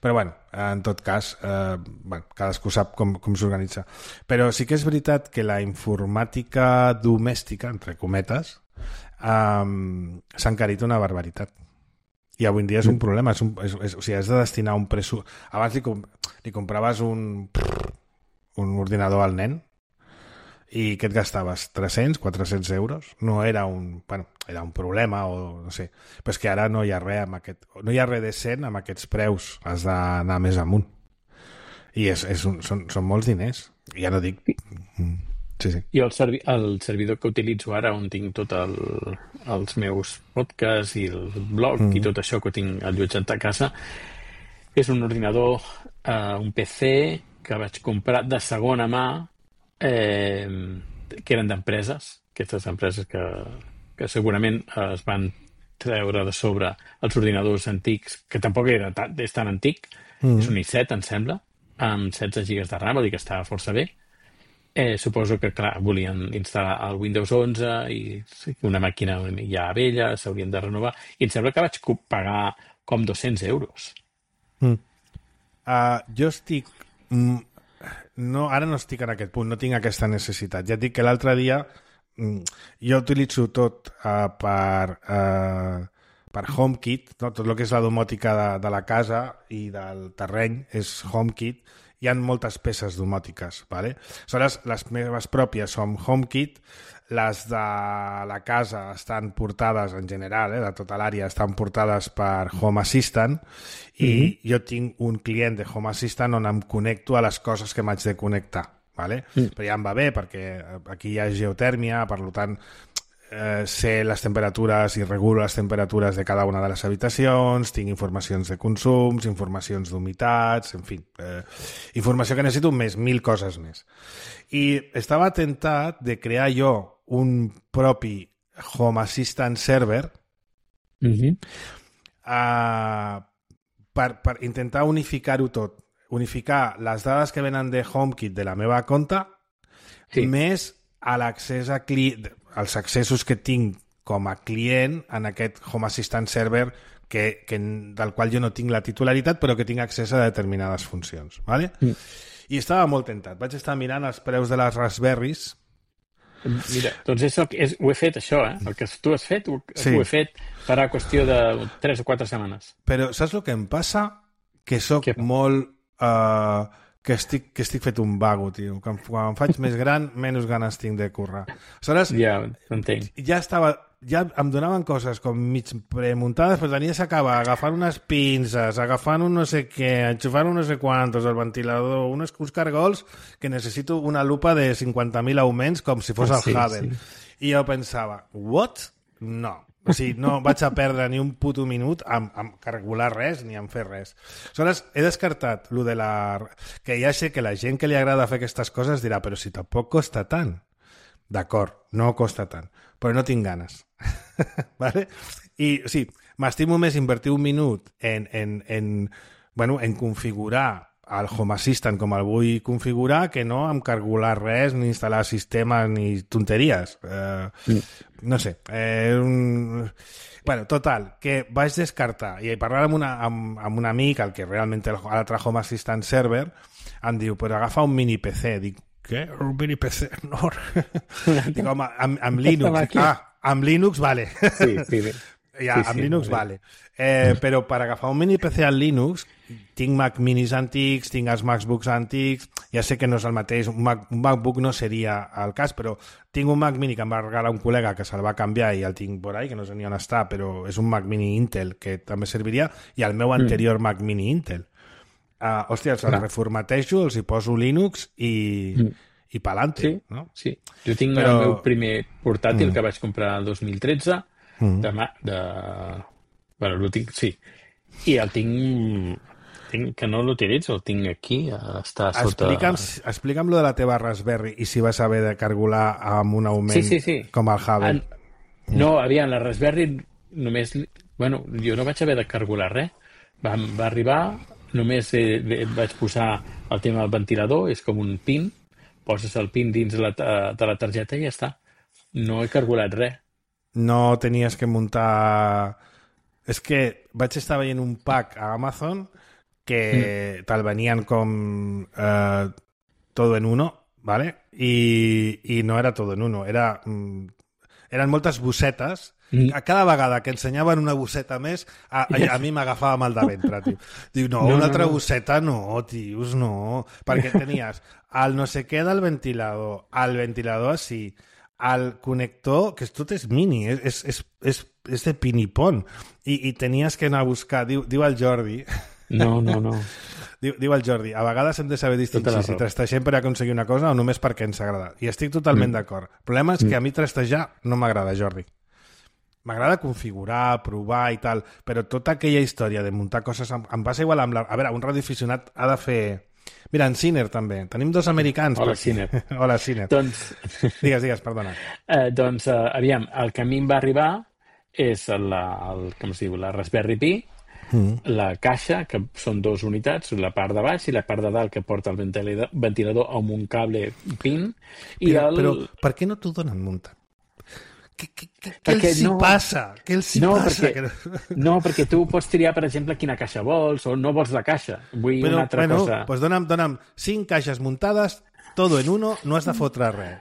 però bueno, en tot cas, eh, bueno, cadascú sap com, com s'organitza. Però sí que és veritat que la informàtica domèstica, entre cometes, eh, s'ha encarit una barbaritat. I avui en dia és un problema, és un, és, és, o sigui, has de destinar un pressupost... Abans li, com, li compraves un, un ordinador al nen, i què et gastaves? tres-cents, quatre-cents euros? No era un... Bueno, era un problema o no sé. Però és que ara no hi ha res amb aquest... No hi ha res decent amb aquests preus. Has d'anar més amunt. I és, és un, són, són molts diners. Ja no dic... Sí, sí. I el, servi el servidor que utilitzo ara, on tinc tot el, els meus podcasts i el blog mm. i tot això que tinc allotjat a casa, és un ordinador, eh, un P C que vaig comprar de segona mà, Eh, que eren d'empreses, aquestes empreses que, que segurament es van treure de sobre els ordinadors antics, que tampoc era tan, és tan antic, mm. és un i set, em sembla, amb setze gigas de RAM, vol dir que estava força bé. Eh, suposo que, clar, volien instal·lar el Windows onze i una màquina ja vella, s'haurien de renovar, i em sembla que vaig pagar com dos-cents euros. Mm. Uh, jo estic... Mm... No, ara no estic en aquest punt, no tinc aquesta necessitat. Ja et dic que l'altre dia jo utilitzo tot uh, per, uh, per HomeKit, no? Tot el que és la domòtica de, de la casa i del terreny és HomeKit. Hi ha moltes peces domòtiques, ¿vale? Aleshores, les meves pròpies són HomeKit, les de la casa estan portades en general, eh, de tota l'àrea, estan portades per Home Assistant i mm-hmm. jo tinc un client de Home Assistant on em connecto a les coses que m'haig de connectar, ¿vale? Mm. Però ja em va bé perquè aquí hi ha geotèrmia, per tant eh, sé les temperatures i regulo les temperatures de cada una de les habitacions, tinc informacions de consums, informacions d'humitats, en fi, eh, informació que necessito més, mil coses més. I estava tentat de crear jo un propi Home Assistant server Mm-hmm. uh, per, per intentar unificar-ho tot. Unificar les dades que venen de HomeKit de la meva compte Sí. més a l'accés a cli... als accessos que tinc com a client en aquest Home Assistant server que, que, del qual jo no tinc la titularitat però que tinc accés a determinades funcions. ¿Vale? Mm. I estava molt tentat. Vaig estar mirant els preus de les Raspberries. Mira, doncs és el que, és, ho he fet, això, eh? El que tu has fet, ho, Sí. ho he fet farà qüestió de tres o quatre setmanes. Però saps el que em passa? Que sóc Què? molt... Uh, que, estic, que estic fet un vago, tio. Que quan em faig més gran, menys ganes tinc de currar. Aleshores, Ja, t'entenc. ja estava... Ja em donaven coses com mig premuntades, però tenies que acabar agafant unes pinces, agafant un no sé què, enxufant un no sé quantos, el ventilador, uns, uns cargols que necessito una lupa de cinquanta mil augments com si fos el Sí, Hubble. sí. I jo pensava, what? No. O sigui, no vaig a perdre ni un puto minut amb, amb calcular res ni en fer res. Aleshores, he descartat lo de la... que ja sé que la gent que li agrada fer aquestes coses dirà, però si tampoc costa tant. D'acord, no costa tant, però no tinc ganes. ¿Vale? I sí, m'estimo més invertir un minut en, en, en, bueno, en configurar el Home Assistant com el vull configurar que no en calcular res, ni instal·lar sistemes, ni tonteries. Eh, Mm. no sé. Eh, un... Bueno, total, que vaig descartar i parlar amb, una, amb, amb un amic, el que realment té l'altre Home Assistant server, em diu, però agafa un mini P C. Dic, què? Un mini P C? No. Dic, home, amb, amb Linux. Dic, ah, amb Linux, vale. Sí, sí, sí. Ja, Sí, amb sí, Linux, vale. vale. Eh, però per agafar un mini P C al Linux, tinc Mac minis antics, tinc els MacBooks antics, ja sé que no és el mateix, un, Mac, un MacBook no seria el cas, però tinc un Mac mini que em va regalar un col·lega que se'l va canviar i el tinc por ahí, que no sé ni on està, però és un Mac mini Intel que també serviria, i el meu anterior mm. Mac mini Intel. Uh, hòstia, els el reformatejo, els hi poso Linux i, mm. i pa'lante, Sí, no? sí. Jo tinc Però- el meu primer portàtil Mm. que vaig comprar el dos mil tretze Mm. de, ma- de... Bueno, el tinc, sí. I el tinc... tinc que no l'utilitzo, el tinc aquí, està sota... Explica'm, explica'm lo de la teva Raspberry i si vas haver de calcular amb un augment Sí, sí, sí. com el Hubble. En... No, aviam, la Raspberry només... Bueno, jo no vaig haver de calcular res. Va, va arribar, només eh, eh, vaig posar el tema del ventilador, és com un pin, poses el pin dins la, ta- de la targeta i ja està. No he calculat res. No tenies que muntar... És que vaig estar veient un pack a Amazon que mm. te'l venien com eh, todo en uno, ¿vale? I, i no era todo en uno, era... Mm, eren moltes bossetes. Mm. A cada vegada que ensenyaven una bosseta més, a, a, a mi m'agafava mal de ventre, tio. Diu, no, No, una no, altra no. bosseta no, tios, no. Perquè tenies el no sé què del ventilador, el ventilador així, el connector, que tot és mini, és, és, és, és, és de pinipon, i, i tenies que anar a buscar, diu, diu el Jordi, No, no, no. diu, diu el Jordi, a vegades hem de saber distingir Tota la si raó. trastagem per aconseguir una cosa o només perquè ens agrada. I estic totalment Mm. d'acord. El problema és que a mi trastejar no m'agrada, Jordi. M'agrada configurar, provar i tal, però tota aquella història de muntar coses em, em passa igual amb la... A veure, un radioaficionat ha de fer... Mira, en Ciner també. Tenim dos americans. Hola, per aquí. Ciner. Hola, Ciner. Doncs, Digues, digues, perdona. eh, doncs eh, aviam, el que a mi em va arribar és la, el, com es diu, la Raspberry Pi, Mm. la caixa, que són dues unitats, la part de baix i la part de dalt que porta el ventilador, ventilador amb un cable pin. I Però, el... però per què no t'ho donen muntat? Què, què, què, què Perquè els hi no- passa? Què els hi No, passa? perquè, Que... no, perquè tu pots triar, per exemple, quina caixa vols o no vols la caixa. Vull Però, una altra bueno, cosa. pues dona'm, dona'm cinc caixes muntades, todo en uno, no has de fotre res.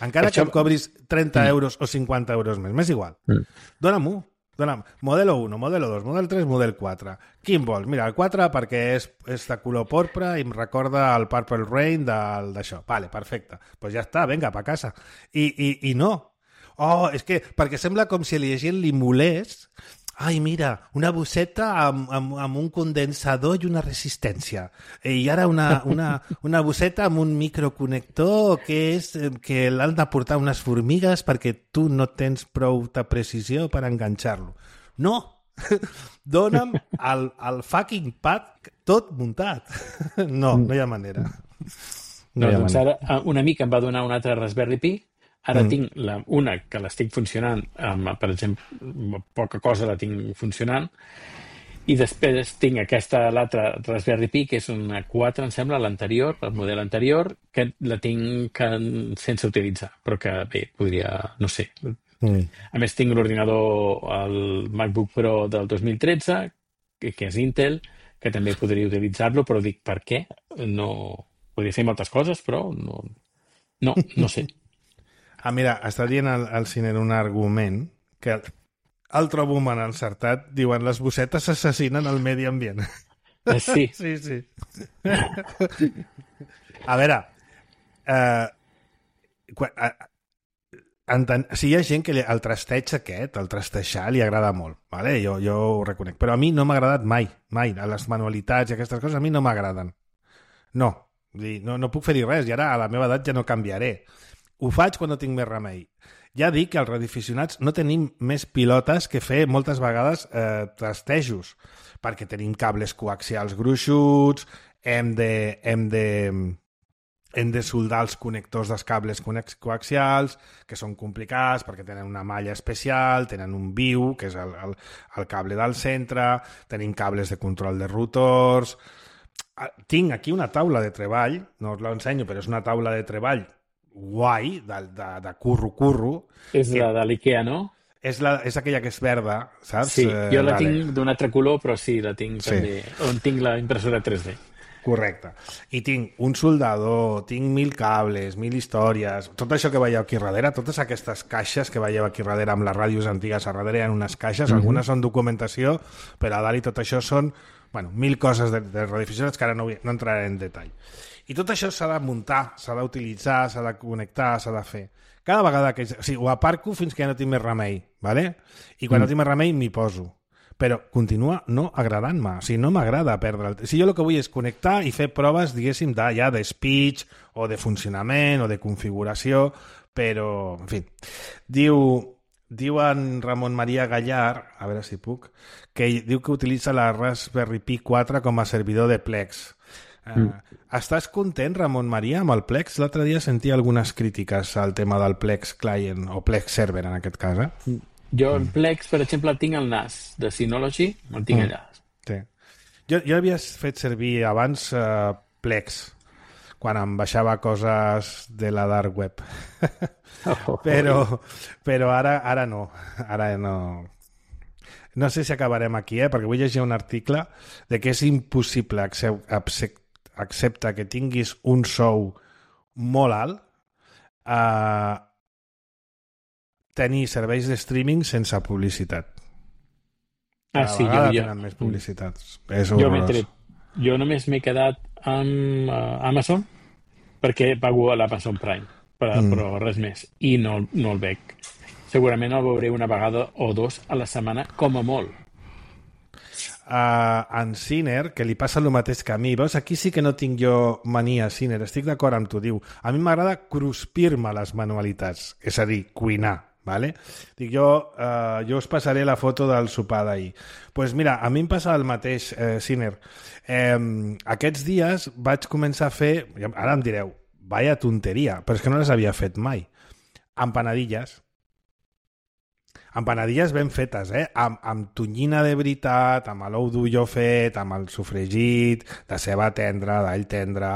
Encara Això- que em cobris trenta euros o cinquanta euros més, m'és igual. Mm. Dóna'm-ho. Dóna'm. Modelo uno, modelo dos, model tres, model quatre. Quin vols? Mira, el quatre perquè és, és de color porpra i em recorda el Purple Rain del- d'això. Vale, perfecte. Doncs pues ja està, vinga, pa casa. I, i, i no. Oh, és que perquè sembla com si a la gent li molés ai, mira, una bosseta amb, amb, amb un condensador i una resistència. I ara una, una, una bosseta amb un microconnector que és que l'han de portar unes formigues perquè tu no tens prou de precisió per enganxar-lo. No! Dóna'm el, el fucking pad tot muntat. No, no hi ha manera. No, no doncs manera. Ara un amic em va donar un altre Raspberry Pi. Ara mm. tinc la, una que l'estic funcionant, amb, per exemple, poca cosa la tinc funcionant, i després tinc aquesta, l'altra Raspberry Pi, que és una quatre, em sembla, l'anterior, el model anterior, que la tinc que, sense utilitzar, però que bé, podria, no sé. Mm. A més, tinc l'ordinador, el MacBook Pro del dos mil tretze, que, que és Intel, que també podria utilitzar-lo, però dic, per què? No, podria fer moltes coses, però no, no, no sé. Ah, mira, està dient el, el Ciner un argument que el, el trobo man encertat. Diuen, les bossetes assassinen el medi ambient. Eh, sí. Sí, sí. A veure, eh, quan, eh, enten, si hi ha gent que li, el trasteig aquest, el trastejar, li agrada molt, vale? jo, jo ho reconec, però a mi no m'ha agradat mai, mai. A les manualitats i aquestes coses a mi no m'agraden. No, no, no puc fer-hi res, i ara a la meva edat ja no canviaré. Ho faig quan no tinc més remei. Ja dic que els radioaficionats no tenim més pilotes que fer moltes vegades eh, trastejos, perquè tenim cables coaxials gruixuts, hem de, hem de, hem de soldar els connectors dels cables coaxials, que són complicats perquè tenen una malla especial, tenen un viu, que és el, el, el cable del centre, tenim cables de control de rotors. Tinc aquí una taula de treball, no us l'ensenyo, però és una taula de treball guai, de, de, de curro-curro. És la de l'Ikea, no? És, la, és aquella que és verda, saps? Sí, jo la vale. tinc d'un altre color, però sí, la tinc sí. també, on tinc la impressora tres D. Correcte. I tinc un soldador, tinc mil cables, mil històries, tot això que veieu aquí darrere, totes aquestes caixes que veieu aquí darrere amb les ràdios antigues a darrere hi ha unes caixes, mm-hmm. algunes són documentació, però a dalt i tot això són, bueno, mil coses de, de radioaficionats que ara no, no entraré en detall. I tot això s'ha de muntar, s'ha d'utilitzar, s'ha de connectar, s'ha de fer. Cada vegada que... O sigui, ho aparco fins que ja no tinc més remei, ¿vale? I quan mm. no tinc més remei m'hi poso. Però continua no agradant-me. O sigui, no m'agrada perdre el... Si jo el que vull és connectar i fer proves, diguéssim, de, ja de speech o de funcionament o de configuració, però, en fi. Diu... Diu en Ramon Maria Gallar, a veure si puc, que diu que utilitza la Raspberry Pi quatre com a servidor de Plex. Uh, mm. Estàs content, Ramon Maria, amb el Plex? L'altre dia sentia algunes crítiques al tema del Plex Client, o Plex Server, en aquest cas, eh? Jo el Plex, per exemple, el tinc al N A S de Synology, el tinc mm. allà. Sí. Jo, jo havia fet servir abans uh, Plex, quan em baixava coses de la dark web. Oh, però però ara, ara no. Ara no... No sé si acabarem aquí, eh? Perquè vull llegir un article de que és impossible accept, accepta que tinguis un sou molt alt a tenir serveis de streaming sense publicitat. Cada ah, sí, vegada jo, tenen jo, més publicitats. És jo, tret, jo només m'he quedat amb uh, Amazon perquè pago a l'Amazon Prime, però, mm. però res més. I no, no el veig. Segurament el veuré una vegada o dos a la setmana, com a molt. Uh, en Ciner, que li passa el mateix que a mi, veus? Aquí sí que no tinc jo mania, Ciner, estic d'acord amb tu, diu, a mi m'agrada cruspir-me les manualitats, és a dir, cuinar, vale? Dic, jo, uh, jo us passaré la foto del sopar d'ahir. Doncs pues mira, a mi em passa el mateix, eh, Ciner. Eh, aquests dies vaig començar a fer, ara em direu, vaya tonteria, però és que no les havia fet mai, empanadilles. Empanadilles ben fetes, eh? Amb, amb tonyina de veritat, amb l'ou d'ulló fet, amb el sofregit, de ceba tendra, d'all tendre,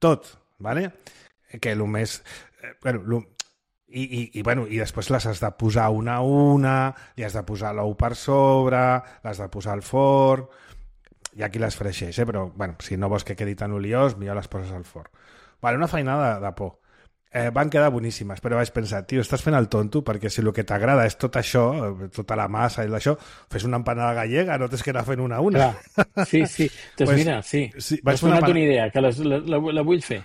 tot, ¿vale? Que el més... Eh, bueno, lo, i, i, i, bueno, i després les has de posar una a una, li has de posar l'ou per sobre, les de posar al forn... Hi ha qui les freixeix, eh? Però bueno, si no vols que quedi tan oliós, millor les poses al forn. Vale, una feinada de, de por. Eh, van quedar boníssimes, però vaig pensar, tio, estàs fent el tonto, perquè si el que t'agrada és tot això, tota la massa i això, fes una empanada gallega, no tens que anar fent una a una. Clar. Sí, sí. Doncs pues, mira, sí. sí M'has donat una idea, que les, la, la, la vull fer.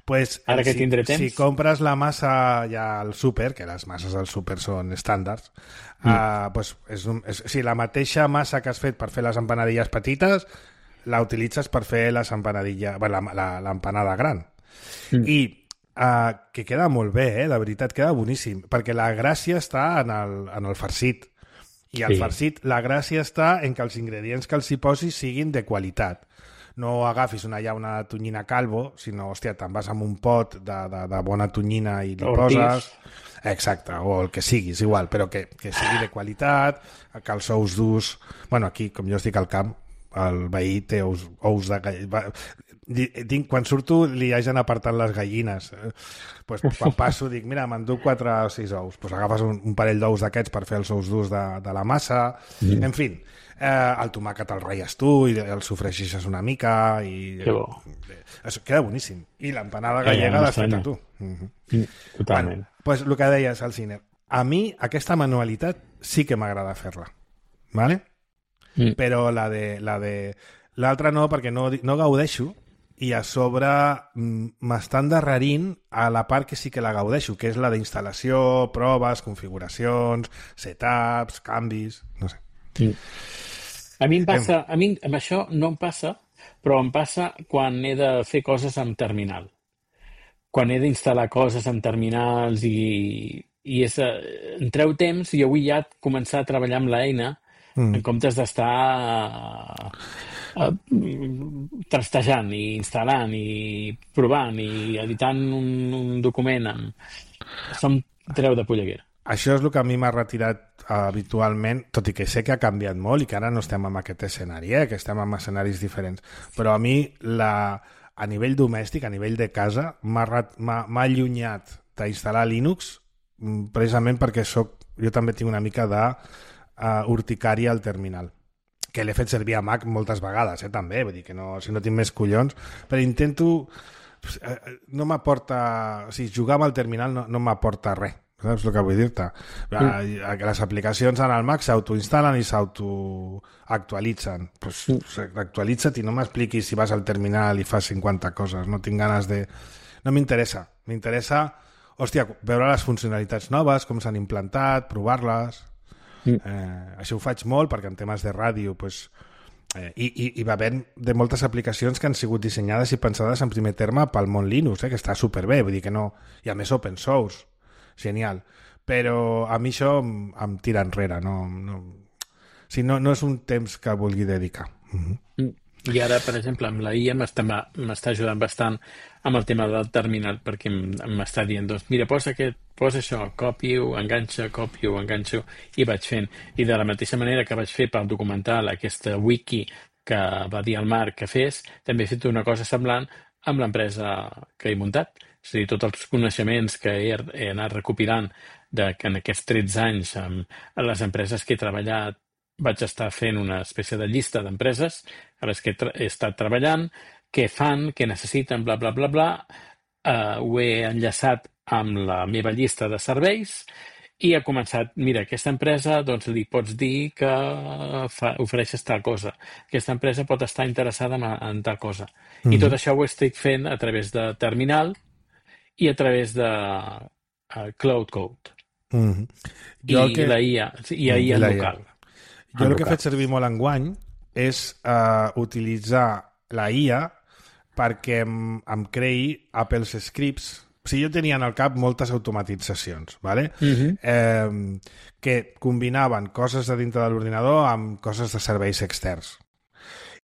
Pues, Ara que si, tindré temps. Si compres la massa ja al súper, que les masses al súper són estàndards, mm. uh, pues és un, és, si la mateixa massa que has fet per fer les empanadilles petites, la utilitzes per fer les empanadilles, bueno, l'empanada gran. Mm. I uh, que queda molt bé, eh? De veritat, queda boníssim, perquè la gràcia està en el, en el farcit. I el sí. farcit, la gràcia està en que els ingredients que els hi posis siguin de qualitat. No agafis una, ja una tonyina calvo, sinó, hòstia, te'n vas amb un pot de, de, de bona tonyina i li Ortiz. poses... Exacte, o el que siguis, igual, però que, que sigui de qualitat, que els ous durs... Bueno, aquí, com jo estic al camp, el veí té ous, ous de gallina. Dic, quan surto li hagin apartat les gallines, eh, pues, quan passo dic, mira, m'enduc quatre o sis ous, pues agafes un, un parell d'ous d'aquests per fer els ous durs de, de la massa, mm. en fi, eh, el tomàquet el ratlles tu i el sofregeixes una mica i que bo. Això queda boníssim, i l'empanada gallega l'has fet tu. Mm-hmm. mm, totalment. Bueno, pues el que deies al cine, a mi aquesta manualitat sí que m'agrada fer-la, ¿vale? Mm. Però la de la de l'altra no, perquè no, no gaudeixo, i a sobre m'estan endarrerint a la part que sí que la gaudeixo, que és la d'instal·lació, proves, configuracions, setups, canvis, no sé. Sí. A mi em passa, a mi amb això no em passa, però em passa quan he de fer coses amb terminal. Quan he d'instal·lar coses amb terminals i, i és, em treu temps i jo vull ja començar a treballar amb l'eina mm. en comptes d'estar Uh, trastejant i instal·lant i provant i editant un, un document amb... Això em treu de polleguera. Això és el que a mi m'ha retirat uh, habitualment, tot i que sé que ha canviat molt i que ara no estem en aquest escenari, eh? Que estem en escenaris diferents, però a mi la, a nivell domèstic, a nivell de casa, m'ha allunyat d'instal·lar Linux precisament perquè soc, jo també tinc una mica de uh, urticària al terminal, que l'he fet servir a Mac moltes vegades, eh, també, vull dir que no, si no tinc més collons, però intento... No m'aporta... O sigui, jugar amb el terminal no, no m'aporta res, saps el que vull dir-te? Mm. Les aplicacions en el Mac s'autoinstal·len i s'autoactualitzen. Pues, mm. Actualitza't i no m'expliquis si vas al terminal i fas cinquanta coses. No tinc ganes de... No m'interessa. M'interessa, hòstia, veure les funcionalitats noves, com s'han implantat, provar-les... Mm. Eh, això ho faig molt perquè en temes de ràdio pues, eh, i, i, i va haver de moltes aplicacions que han sigut dissenyades i pensades en primer terme pel món Linux, eh, que està superbé, vull dir que no, i a més open source, genial, però a mi això em, em tira enrere, no, no, o sigui, no, no és un temps que vulgui dedicar. Mm-hmm. Mm. I ara, per exemple, amb la I A m'està ajudant bastant amb el tema del terminal, perquè m'està dient, doncs, mira, posa, aquest, posa això, copio, enganxa, copio, enganxo, i vaig fent. I de la mateixa manera que vaig fer pel documental aquesta wiki que va dir el Marc que fes, també he fet una cosa semblant amb l'empresa que he muntat. És a dir, tots els coneixements que he, he anat recopilant de, que en aquests tretze anys amb les empreses que he treballat vaig estar fent una espècie de llista d'empreses a les que he estat treballant, què fan, què necessiten, bla, bla, bla, bla. Uh, ho he enllaçat amb la meva llista de serveis i ha començat, mira, aquesta empresa doncs li pots dir que fa, ofereixes tal cosa. Aquesta empresa pot estar interessada en, en tal cosa. Mm-hmm. I tot això ho estic fent a través de terminal i a través de uh, Cloud Code. Mm-hmm. I que... la I A, i la I A local. Jo el que he fet servir molt enguany és uh, utilitzar la I A perquè em, em creï Apple's Scripts. O sigui, jo tenia en el cap moltes automatitzacions, ¿vale? Uh-huh. eh, que combinaven coses de dintre de l'ordinador amb coses de serveis externs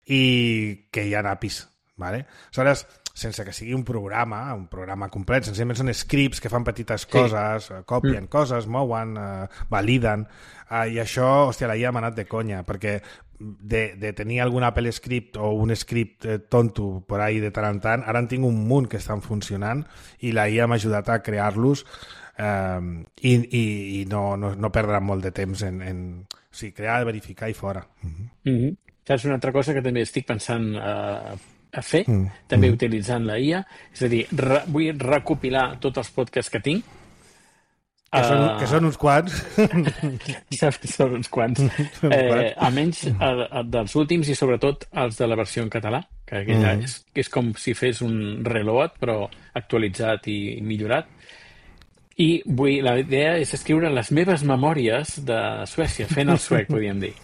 i que hi ha A P Is, ¿vale? Aleshores, sense que sigui un programa, un programa complet, senzillament són scripts que fan petites coses, sí. copien mm. coses, mouen, eh, validen, eh, i això, hòstia, la I A m'ha anat de conya, perquè de, de tenir algun Apple script o un script eh, tonto por ahí de tant en tant, ara en tinc un munt que estan funcionant i la I A m'ha ajudat a crear-los eh, i, i, i no, no, no perdre molt de temps en, en o sigui, crear, verificar i fora. Mm-hmm. Mm-hmm. Saps una altra cosa que també estic pensant eh, a fer, mm. també mm. utilitzant la I A, és a dir, re, vull recopilar tots els podcasts que tinc. Que, uh, són, que són uns quants. Saps que són uns quants. Eh, almenys uh, dels últims i sobretot els de la versió en català, que que aquella mm. és, és com si fes un reload, però actualitzat i millorat. I vull, la idea és escriure les meves memòries de Suècia, fent el suec, podríem dir.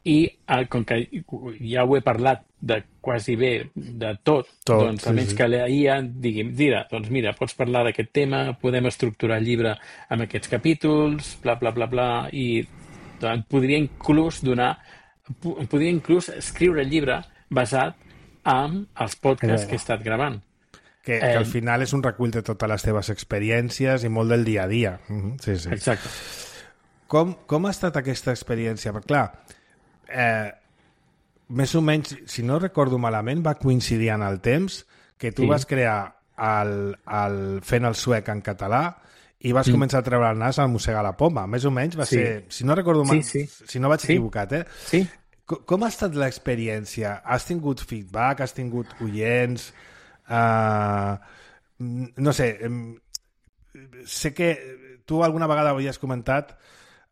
I eh, com que ja ho he parlat de quasi bé de tot, tot doncs almenys sí, sí. que la I A digui, dirà, doncs mira, pots parlar d'aquest tema, podem estructurar el llibre amb aquests capítols, bla, bla, bla, bla, i doncs, podria inclús donar, podria inclús escriure el llibre basat en els podcasts que he estat gravant. Que, que al final és un recull de totes les teves experiències i molt del dia a dia. Mm-hmm. Sí, sí. Exacte. Com, com ha estat aquesta experiència? Perquè, clar, eh, més o menys, si no recordo malament, va coincidir en el temps que tu sí. vas crear el, el Fent el suec en català i vas mm. començar a treure el nas al Mossega la poma. Més o menys va sí. ser... Si no recordo mal, sí, sí. si no vaig sí. equivocat, eh? Sí. Com, com ha estat l'experiència? Has tingut feedback? Has tingut oients? Uh, no sé, sé que tu alguna vegada havies comentat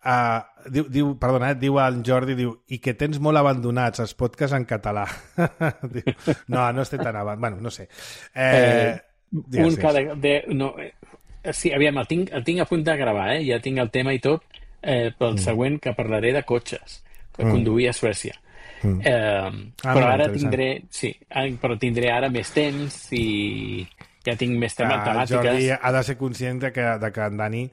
uh, diu, diu, perdona, eh, diu el Jordi, diu, i que tens molt abandonats els podcasts en català. Diu, no, no estic tan abandonat. Bueno, no sé. Eh, eh, un cada... De, no, eh, sí, aviam, el tinc, el tinc a punt de gravar, eh? Ja tinc el tema i tot, eh, pel mm. següent que parlaré de cotxes, que mm. conduir a Suècia. Mm. Eh, ah, però ara tindré sí, però tindré ara més temps i ja tinc més tema, ah, temàtiques. Jordi ha de ser conscient de que, de que en Dani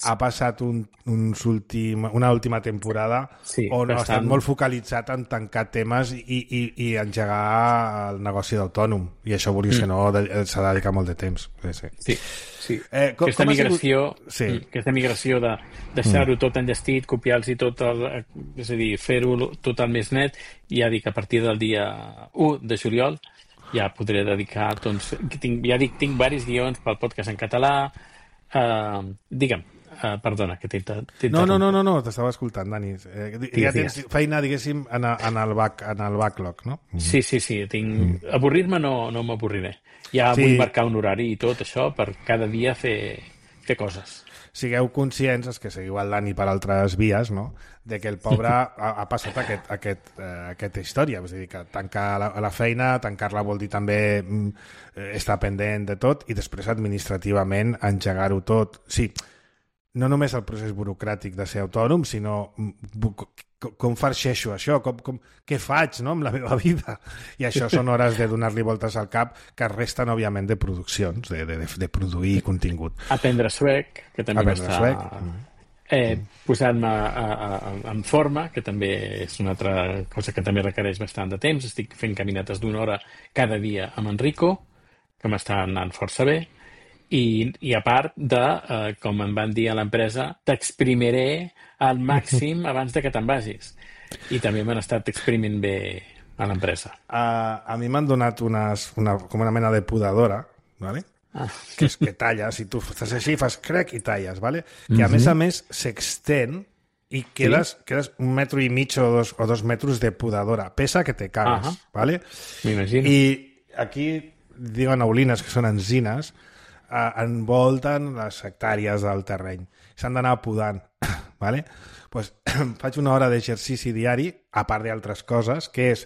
ha passat un, uns últim, una última temporada sí, on bastant... ha estat molt focalitzat en tancar temes i, i, i engegar el negoci d'autònom, i això vulguis mm. que no s'ha de dedicar molt de temps. Sí, sí. sí. Eh, com, aquesta, com migració, sigut... sí. aquesta migració de deixar-ho mm. tot enllestit, copiar-los i tot el, és a dir, fer-ho tot el més net, i ja dic, a partir del dia u de juliol ja podré dedicar, doncs, tinc, ja dic, tinc diversos guions pel podcast en català. Uh, digue'm, Uh, perdona, que t'he interromput. No, no, no, no, no t'estava escoltant, Dani. Eh, ja tens feina, diguéssim, en, en, el, back, en el backlog, no? Sí, sí, sí. Tinc... Mm. Avorrir-me no, no m'avorriré. Ja sí. Vull marcar un horari i tot això per cada dia fer, fer coses. Sigueu conscients, els que seguiu el Dani per altres vies, no?, de que el pobre ha, ha passat aquest, aquest, eh, aquesta història. És a dir, que tancar la, la feina, tancar-la vol dir també mm, estar pendent de tot i després administrativament engegar-ho tot. Sí, no només el procés burocràtic de ser autònom, sinó com farxeixo això, com, com, què faig, no?, amb la meva vida. I això són hores de donar-li voltes al cap que resten, òbviament, de produccions, de, de, de produir contingut. Aprendre suec, que també m'està eh, posant-me en forma, que també és una altra cosa que també requereix bastant de temps. Estic fent caminates d'una hora cada dia amb Enrico, que m'està anant força bé. I, i a part de, eh, com em van dir a l'empresa, t'exprimiré al màxim abans de que te'n vagis. I també m'han estat exprimint bé a l'empresa. Uh, a mi m'han donat unes, una, com una mena de podadora, ¿vale? Ah. que és que talles, i tu estàs així, fas crec i talles, ¿vale? Que a uh-huh. més a més s'extén i quedes, sí? quedes un metro i mig o dos, o dos metres de podadora. Pesa que te cagues, uh-huh. ¿vale? M'imagino. I aquí diuen aulines, que són enzines, envolten les hectàrees del terreny. S'han d'anar podant. ¿Vale? Pues, faig una hora d'exercici diari, a part d'altres coses, que és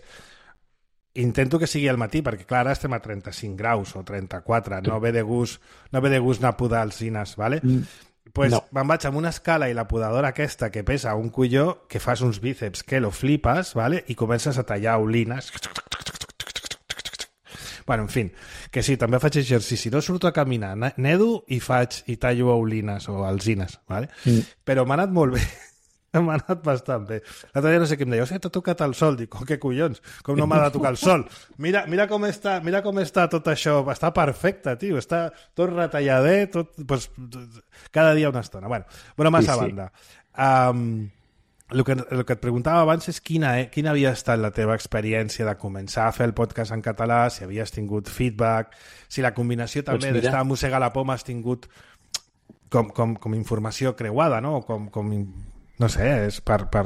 intento que sigui al matí, perquè clar, ara estem a trenta-cinc graus o trenta-quatre, no ve de gust, no ve de gust anar a podar alzines, ¿vale? Mm. Pues no. Me'n vaig amb una escala i la podadora aquesta que pesa un colló, que fas uns bíceps que lo flipes, ¿vale? I comences a tallar olines. Bueno, en fi, que sí, també faig exercici. No surto a caminar, nedo i faig i tallo aulines o alzines, ¿vale? Mm. Però m'ha anat molt bé. M'ha anat bastant bé. L'altre dia no sé què em deia, o sigui, t'ha tocat el sol. Dic, oh, què collons, com no m'ha de tocar el sol? Mira, mira, com està, mira com està tot això. Està perfecte, tio. Està tot retalladet, tot, pues, cada dia una estona. Bueno, bueno massa sí, sí. banda. Um, El que, el que et preguntava abans és quina, eh, quina havia estat la teva experiència de començar a fer el podcast en català, si havies tingut feedback, si la combinació també doncs d'estar a Mossegar la Poma has tingut com, com, com informació creuada, no? Com, com, no sé, és per... per...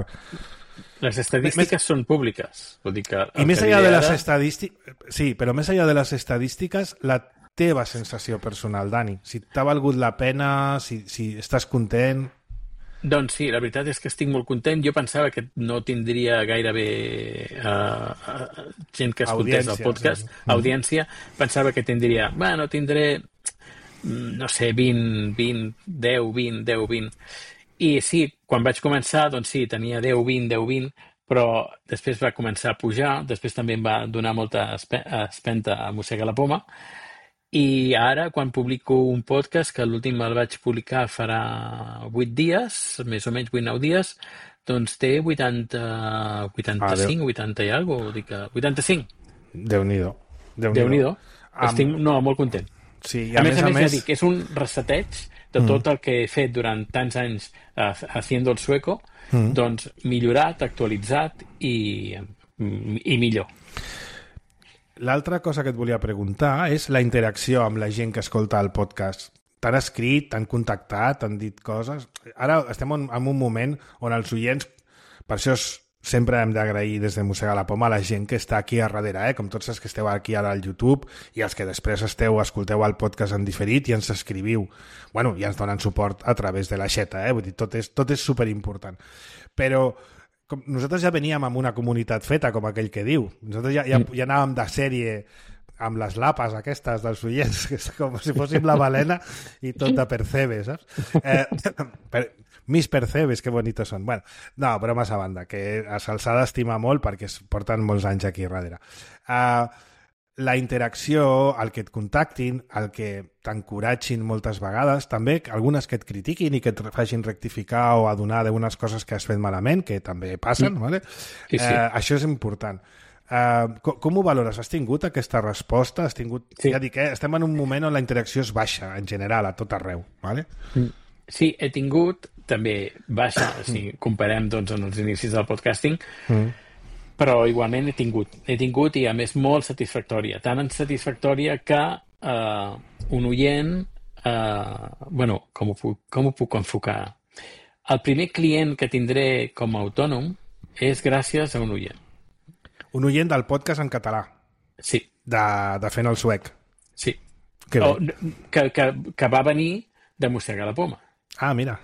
Les estadístiques més... són públiques. Vull dir que I més enllà de les estadístiques... Sí, però més enllà de les estadístiques, la teva sensació personal, Dani. Si t'ha valgut la pena, si, si estàs content... Doncs sí, la veritat és que estic molt content. Jo pensava que no tindria gairebé uh, uh, gent que escoltés el Audiència, podcast, sí. audiència. Pensava que tindria, bueno, tindré, no sé, vint, vint, deu, vint, deu, vint. I sí, quan vaig començar, doncs sí, tenia deu, vint, deu, vint, però després va començar a pujar, després també em va donar molta espe espenta a mossegar la poma. I ara, quan publico un podcast, que l'últim el vaig publicar farà vuit dies, més o menys vuit nou dies, doncs té vuitanta, vuitanta-cinc, vuitanta i alguna cosa, dic que vuitanta-cinc. Déu-n'hi-do. Déu-n'hi-do. Estic no, molt content. Sí, i a, a més més a a més, més... ja dic, és un reseteig de tot el que he fet durant tants anys uh, haciendo el sueco, mm. doncs millorat, actualitzat i, i millor. L'altra cosa que et volia preguntar és la interacció amb la gent que escolta el podcast. T'han escrit, t'han contactat, t'han dit coses... Ara estem en, en un moment on els oients, per això sempre hem d'agrair des de Mossegar la Poma a la gent que està aquí a darrere, eh? Com tots els que esteu aquí ara al YouTube i els que després esteu, escolteu el podcast en diferit i ens escriviu. Bueno, i ens donen suport a través de la xeta, eh? Vull dir, tot és, tot és superimportant. Però... Com nosaltres ja veníem amb una comunitat feta, com aquell que diu. Nosaltres ja, ja, ja anàvem de sèrie amb les lapes aquestes dels oients, que és com si fóssim la balena i tot de percebes, saps? Eh, per, mis percebes, que bonitos són. Bueno, no, bromes a banda, que a Salsada estima molt perquè es porten molts anys aquí darrere. Uh, la interacció, el que et contactin, el que t'encoratgin moltes vegades, també algunes que et critiquin i que et facin rectificar o adonar d'unes coses que has fet malament, que també passen, mm. ¿vale? Sí, sí. Eh, això és important. Eh, com, com ho valores? Has tingut aquesta resposta? Has tingut... Sí. Ja dic, eh, estem en un moment on la interacció és baixa, en general, a tot arreu. ¿Vale? Sí, he tingut també baixa, si comparem doncs, en els inicis del podcasting, mm. però igualment he tingut, he tingut i a més molt satisfactòria, tan satisfactòria que eh, un oient, eh, bueno, com ho, puc, com ho puc enfocar? El primer client que tindré com a autònom és gràcies a un oient. Un oient del podcast en català? Sí. De, de Fent el Suec? Sí. Que, o, que, que, que va venir de Mossegar la Poma. Ah, mira.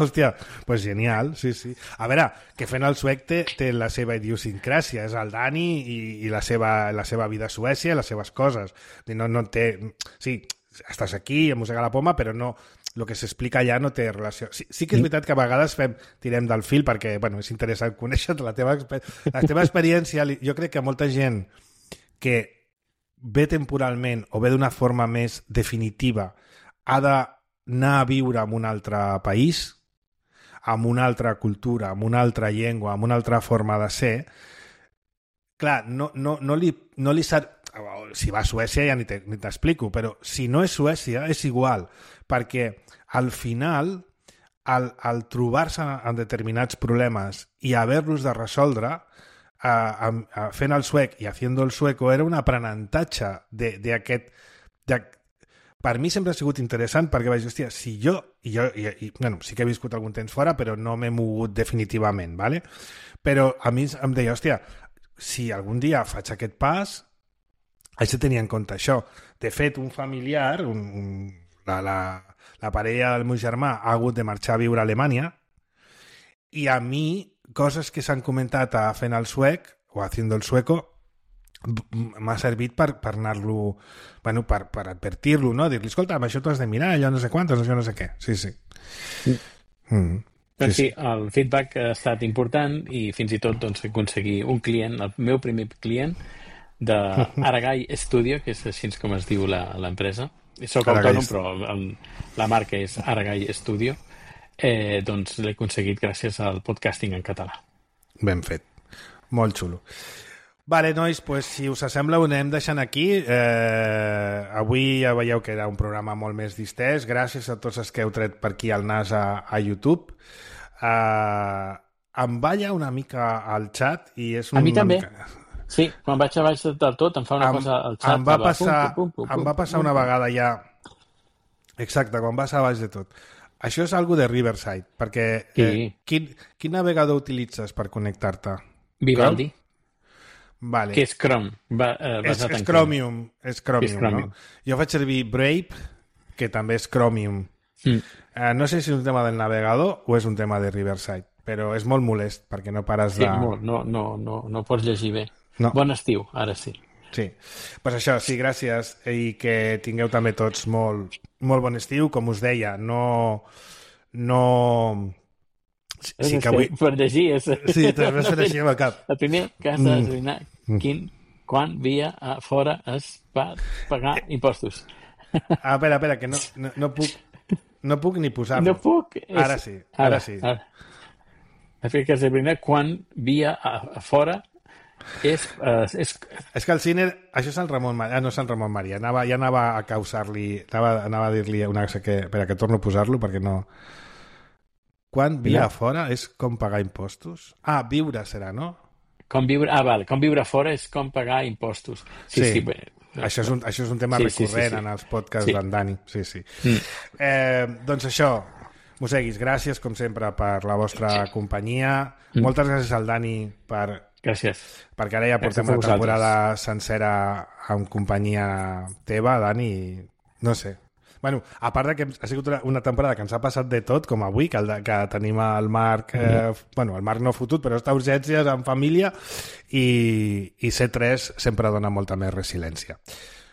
Hòstia, pues genial, sí, sí. A veure, que Fent el Suec té, té la seva idiosincràsia, és el Dani i, i la, seva, la seva vida a Suècia, les seves coses. No, no té... Sí, estàs aquí, a Mossegar la Poma, però no... El que s'explica allà no té relació. Sí, sí que és veritat que a vegades fem, tirem del fil perquè, bueno, és interessant conèixer la teva, la teva experiència. Jo crec que molta gent que ve temporalment o ve d'una forma més definitiva ha de anar a viure en un altre país, amb una altra cultura, amb una altra llengua, amb una altra forma de ser, clar, no, no, no li, no li sap... Si va a Suècia ja ni t'explico, però si no és Suècia és igual, perquè al final, al, al trobar-se en determinats problemes i haver-los de resoldre, a, a, a fent el suec i haciendo el sueco, era un aprenentatge d'aquest... Per mi sempre ha sigut interessant perquè vaig dir, hòstia, si jo, i jo i, i, bueno, sí que he viscut algun temps fora, però no m'he mogut definitivament, ¿vale? Però a mi em deia, hòstia, si algun dia faig aquest pas, haig de tenir en compte això. De fet, un familiar, un, un, la, la, la parella del meu germà ha hagut de marxar a viure a Alemanya i a mi, coses que s'han comentat a Fent el Suec o Haciendo el Sueco, m'ha servit per, per anar-lo, bueno, per, per advertir-lo, no? Dir-li, escolta, això t'ho has de mirar, allò no sé quantos, això no sé què. Sí, sí. Mm. Doncs sí, sí, el feedback ha estat important i fins i tot doncs, aconseguir un client, el meu primer client, de Aragai Studio, que és així com es diu l'empresa. Soc autònom, però el, la marca és Aragai Studio. Eh, doncs l'he aconseguit gràcies al podcasting en català. Ben fet. Molt xulo. Vale, nois, pues, si us sembla ho anem deixant aquí. Eh, avui ja veieu que era un programa molt més distès. Gràcies a tots els que heu tret per aquí el nas a, a YouTube. Eh, em balla una mica al xat i és un... A mi també. Mica... Sí, quan vaig a baix del tot em fa una em, cosa al xat. Em va, passar, pum, pum, pum, em va passar una vegada ja... Exacte, quan vas a baix de tot. Això és algo de Riverside, perquè sí. eh, quin, quin navegador utilitzes per connectar-te? Vivaldi. Vale. Que és Chrome. Va, eh, és, és Chromium, és Chromium, és Chromium, no? Jo faig servir Brave, que també és Chromium. Mm. Eh, no sé si és un tema del navegador o és un tema de Riverside, però és molt molest perquè no pares Sí, de... molt. No, no, no, no pots llegir bé. No. Bon estiu, ara sí. Sí, pues això, sí, gràcies i que tingueu també tots molt, molt bon estiu. Com us deia, no... no... Sí, que avui... Per llegir és... Sí, t'has vist fer així amb el cap. El primer que has d'esbrinar mm. quin, quan via a fora es va pagar impostos. Ah, espera, espera, que no, no, no puc no puc ni posar-lo. No puc. És... Ara sí, ara, ara sí. Ara. El que has d'esbrinar quan via a, a fora és, uh, és... És que el cine... Això és el Ramon Maria. Ah, no és el Ramon Maria. Anava, ja anava a causar-li... Anava, anava a dir-li una cosa que... Espera, que torno a posar-lo perquè no... Quan via no. fora és com pagar impostos? Ah, viure serà, no? Com viure... Ah, vale. Com viure fora és com pagar impostos. Sí, sí. sí bé. Això és, un, això és un tema sí, recurrent sí, sí, sí. en els podcasts sí. d'en Dani. Sí, sí. Mm. Eh, doncs això, Moseguis, gràcies, com sempre, per la vostra companyia. Mm. Moltes gràcies al Dani per... Gràcies. Perquè ara ja portem una temporada sencera en companyia teva, Dani, i no sé. Bueno, a part de que ha sigut una temporada que ens ha passat de tot, com avui, que, el de, que tenim el Marc, eh, mm. bueno, el Marc no fotut, però està a urgències en família, i, i C tres sempre dona molta més resiliència.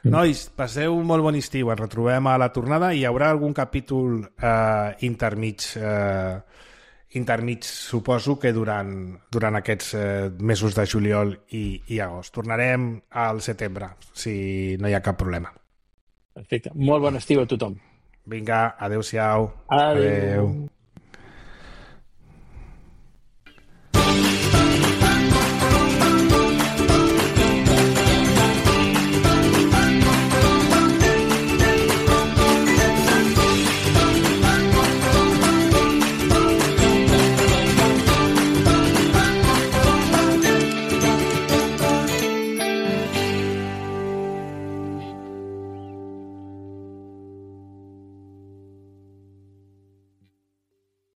Mm. Nois, passeu un molt bon estiu, ens retrobem a la tornada i hi haurà algun capítol eh, intermig, eh, intermig, suposo que durant, durant aquests eh, mesos de juliol i, i agost. Tornarem al setembre, si no hi ha cap problema. Perfecte. Molt bon estiu a tothom. Vinga, adeu-siau. Adeu. Adeu.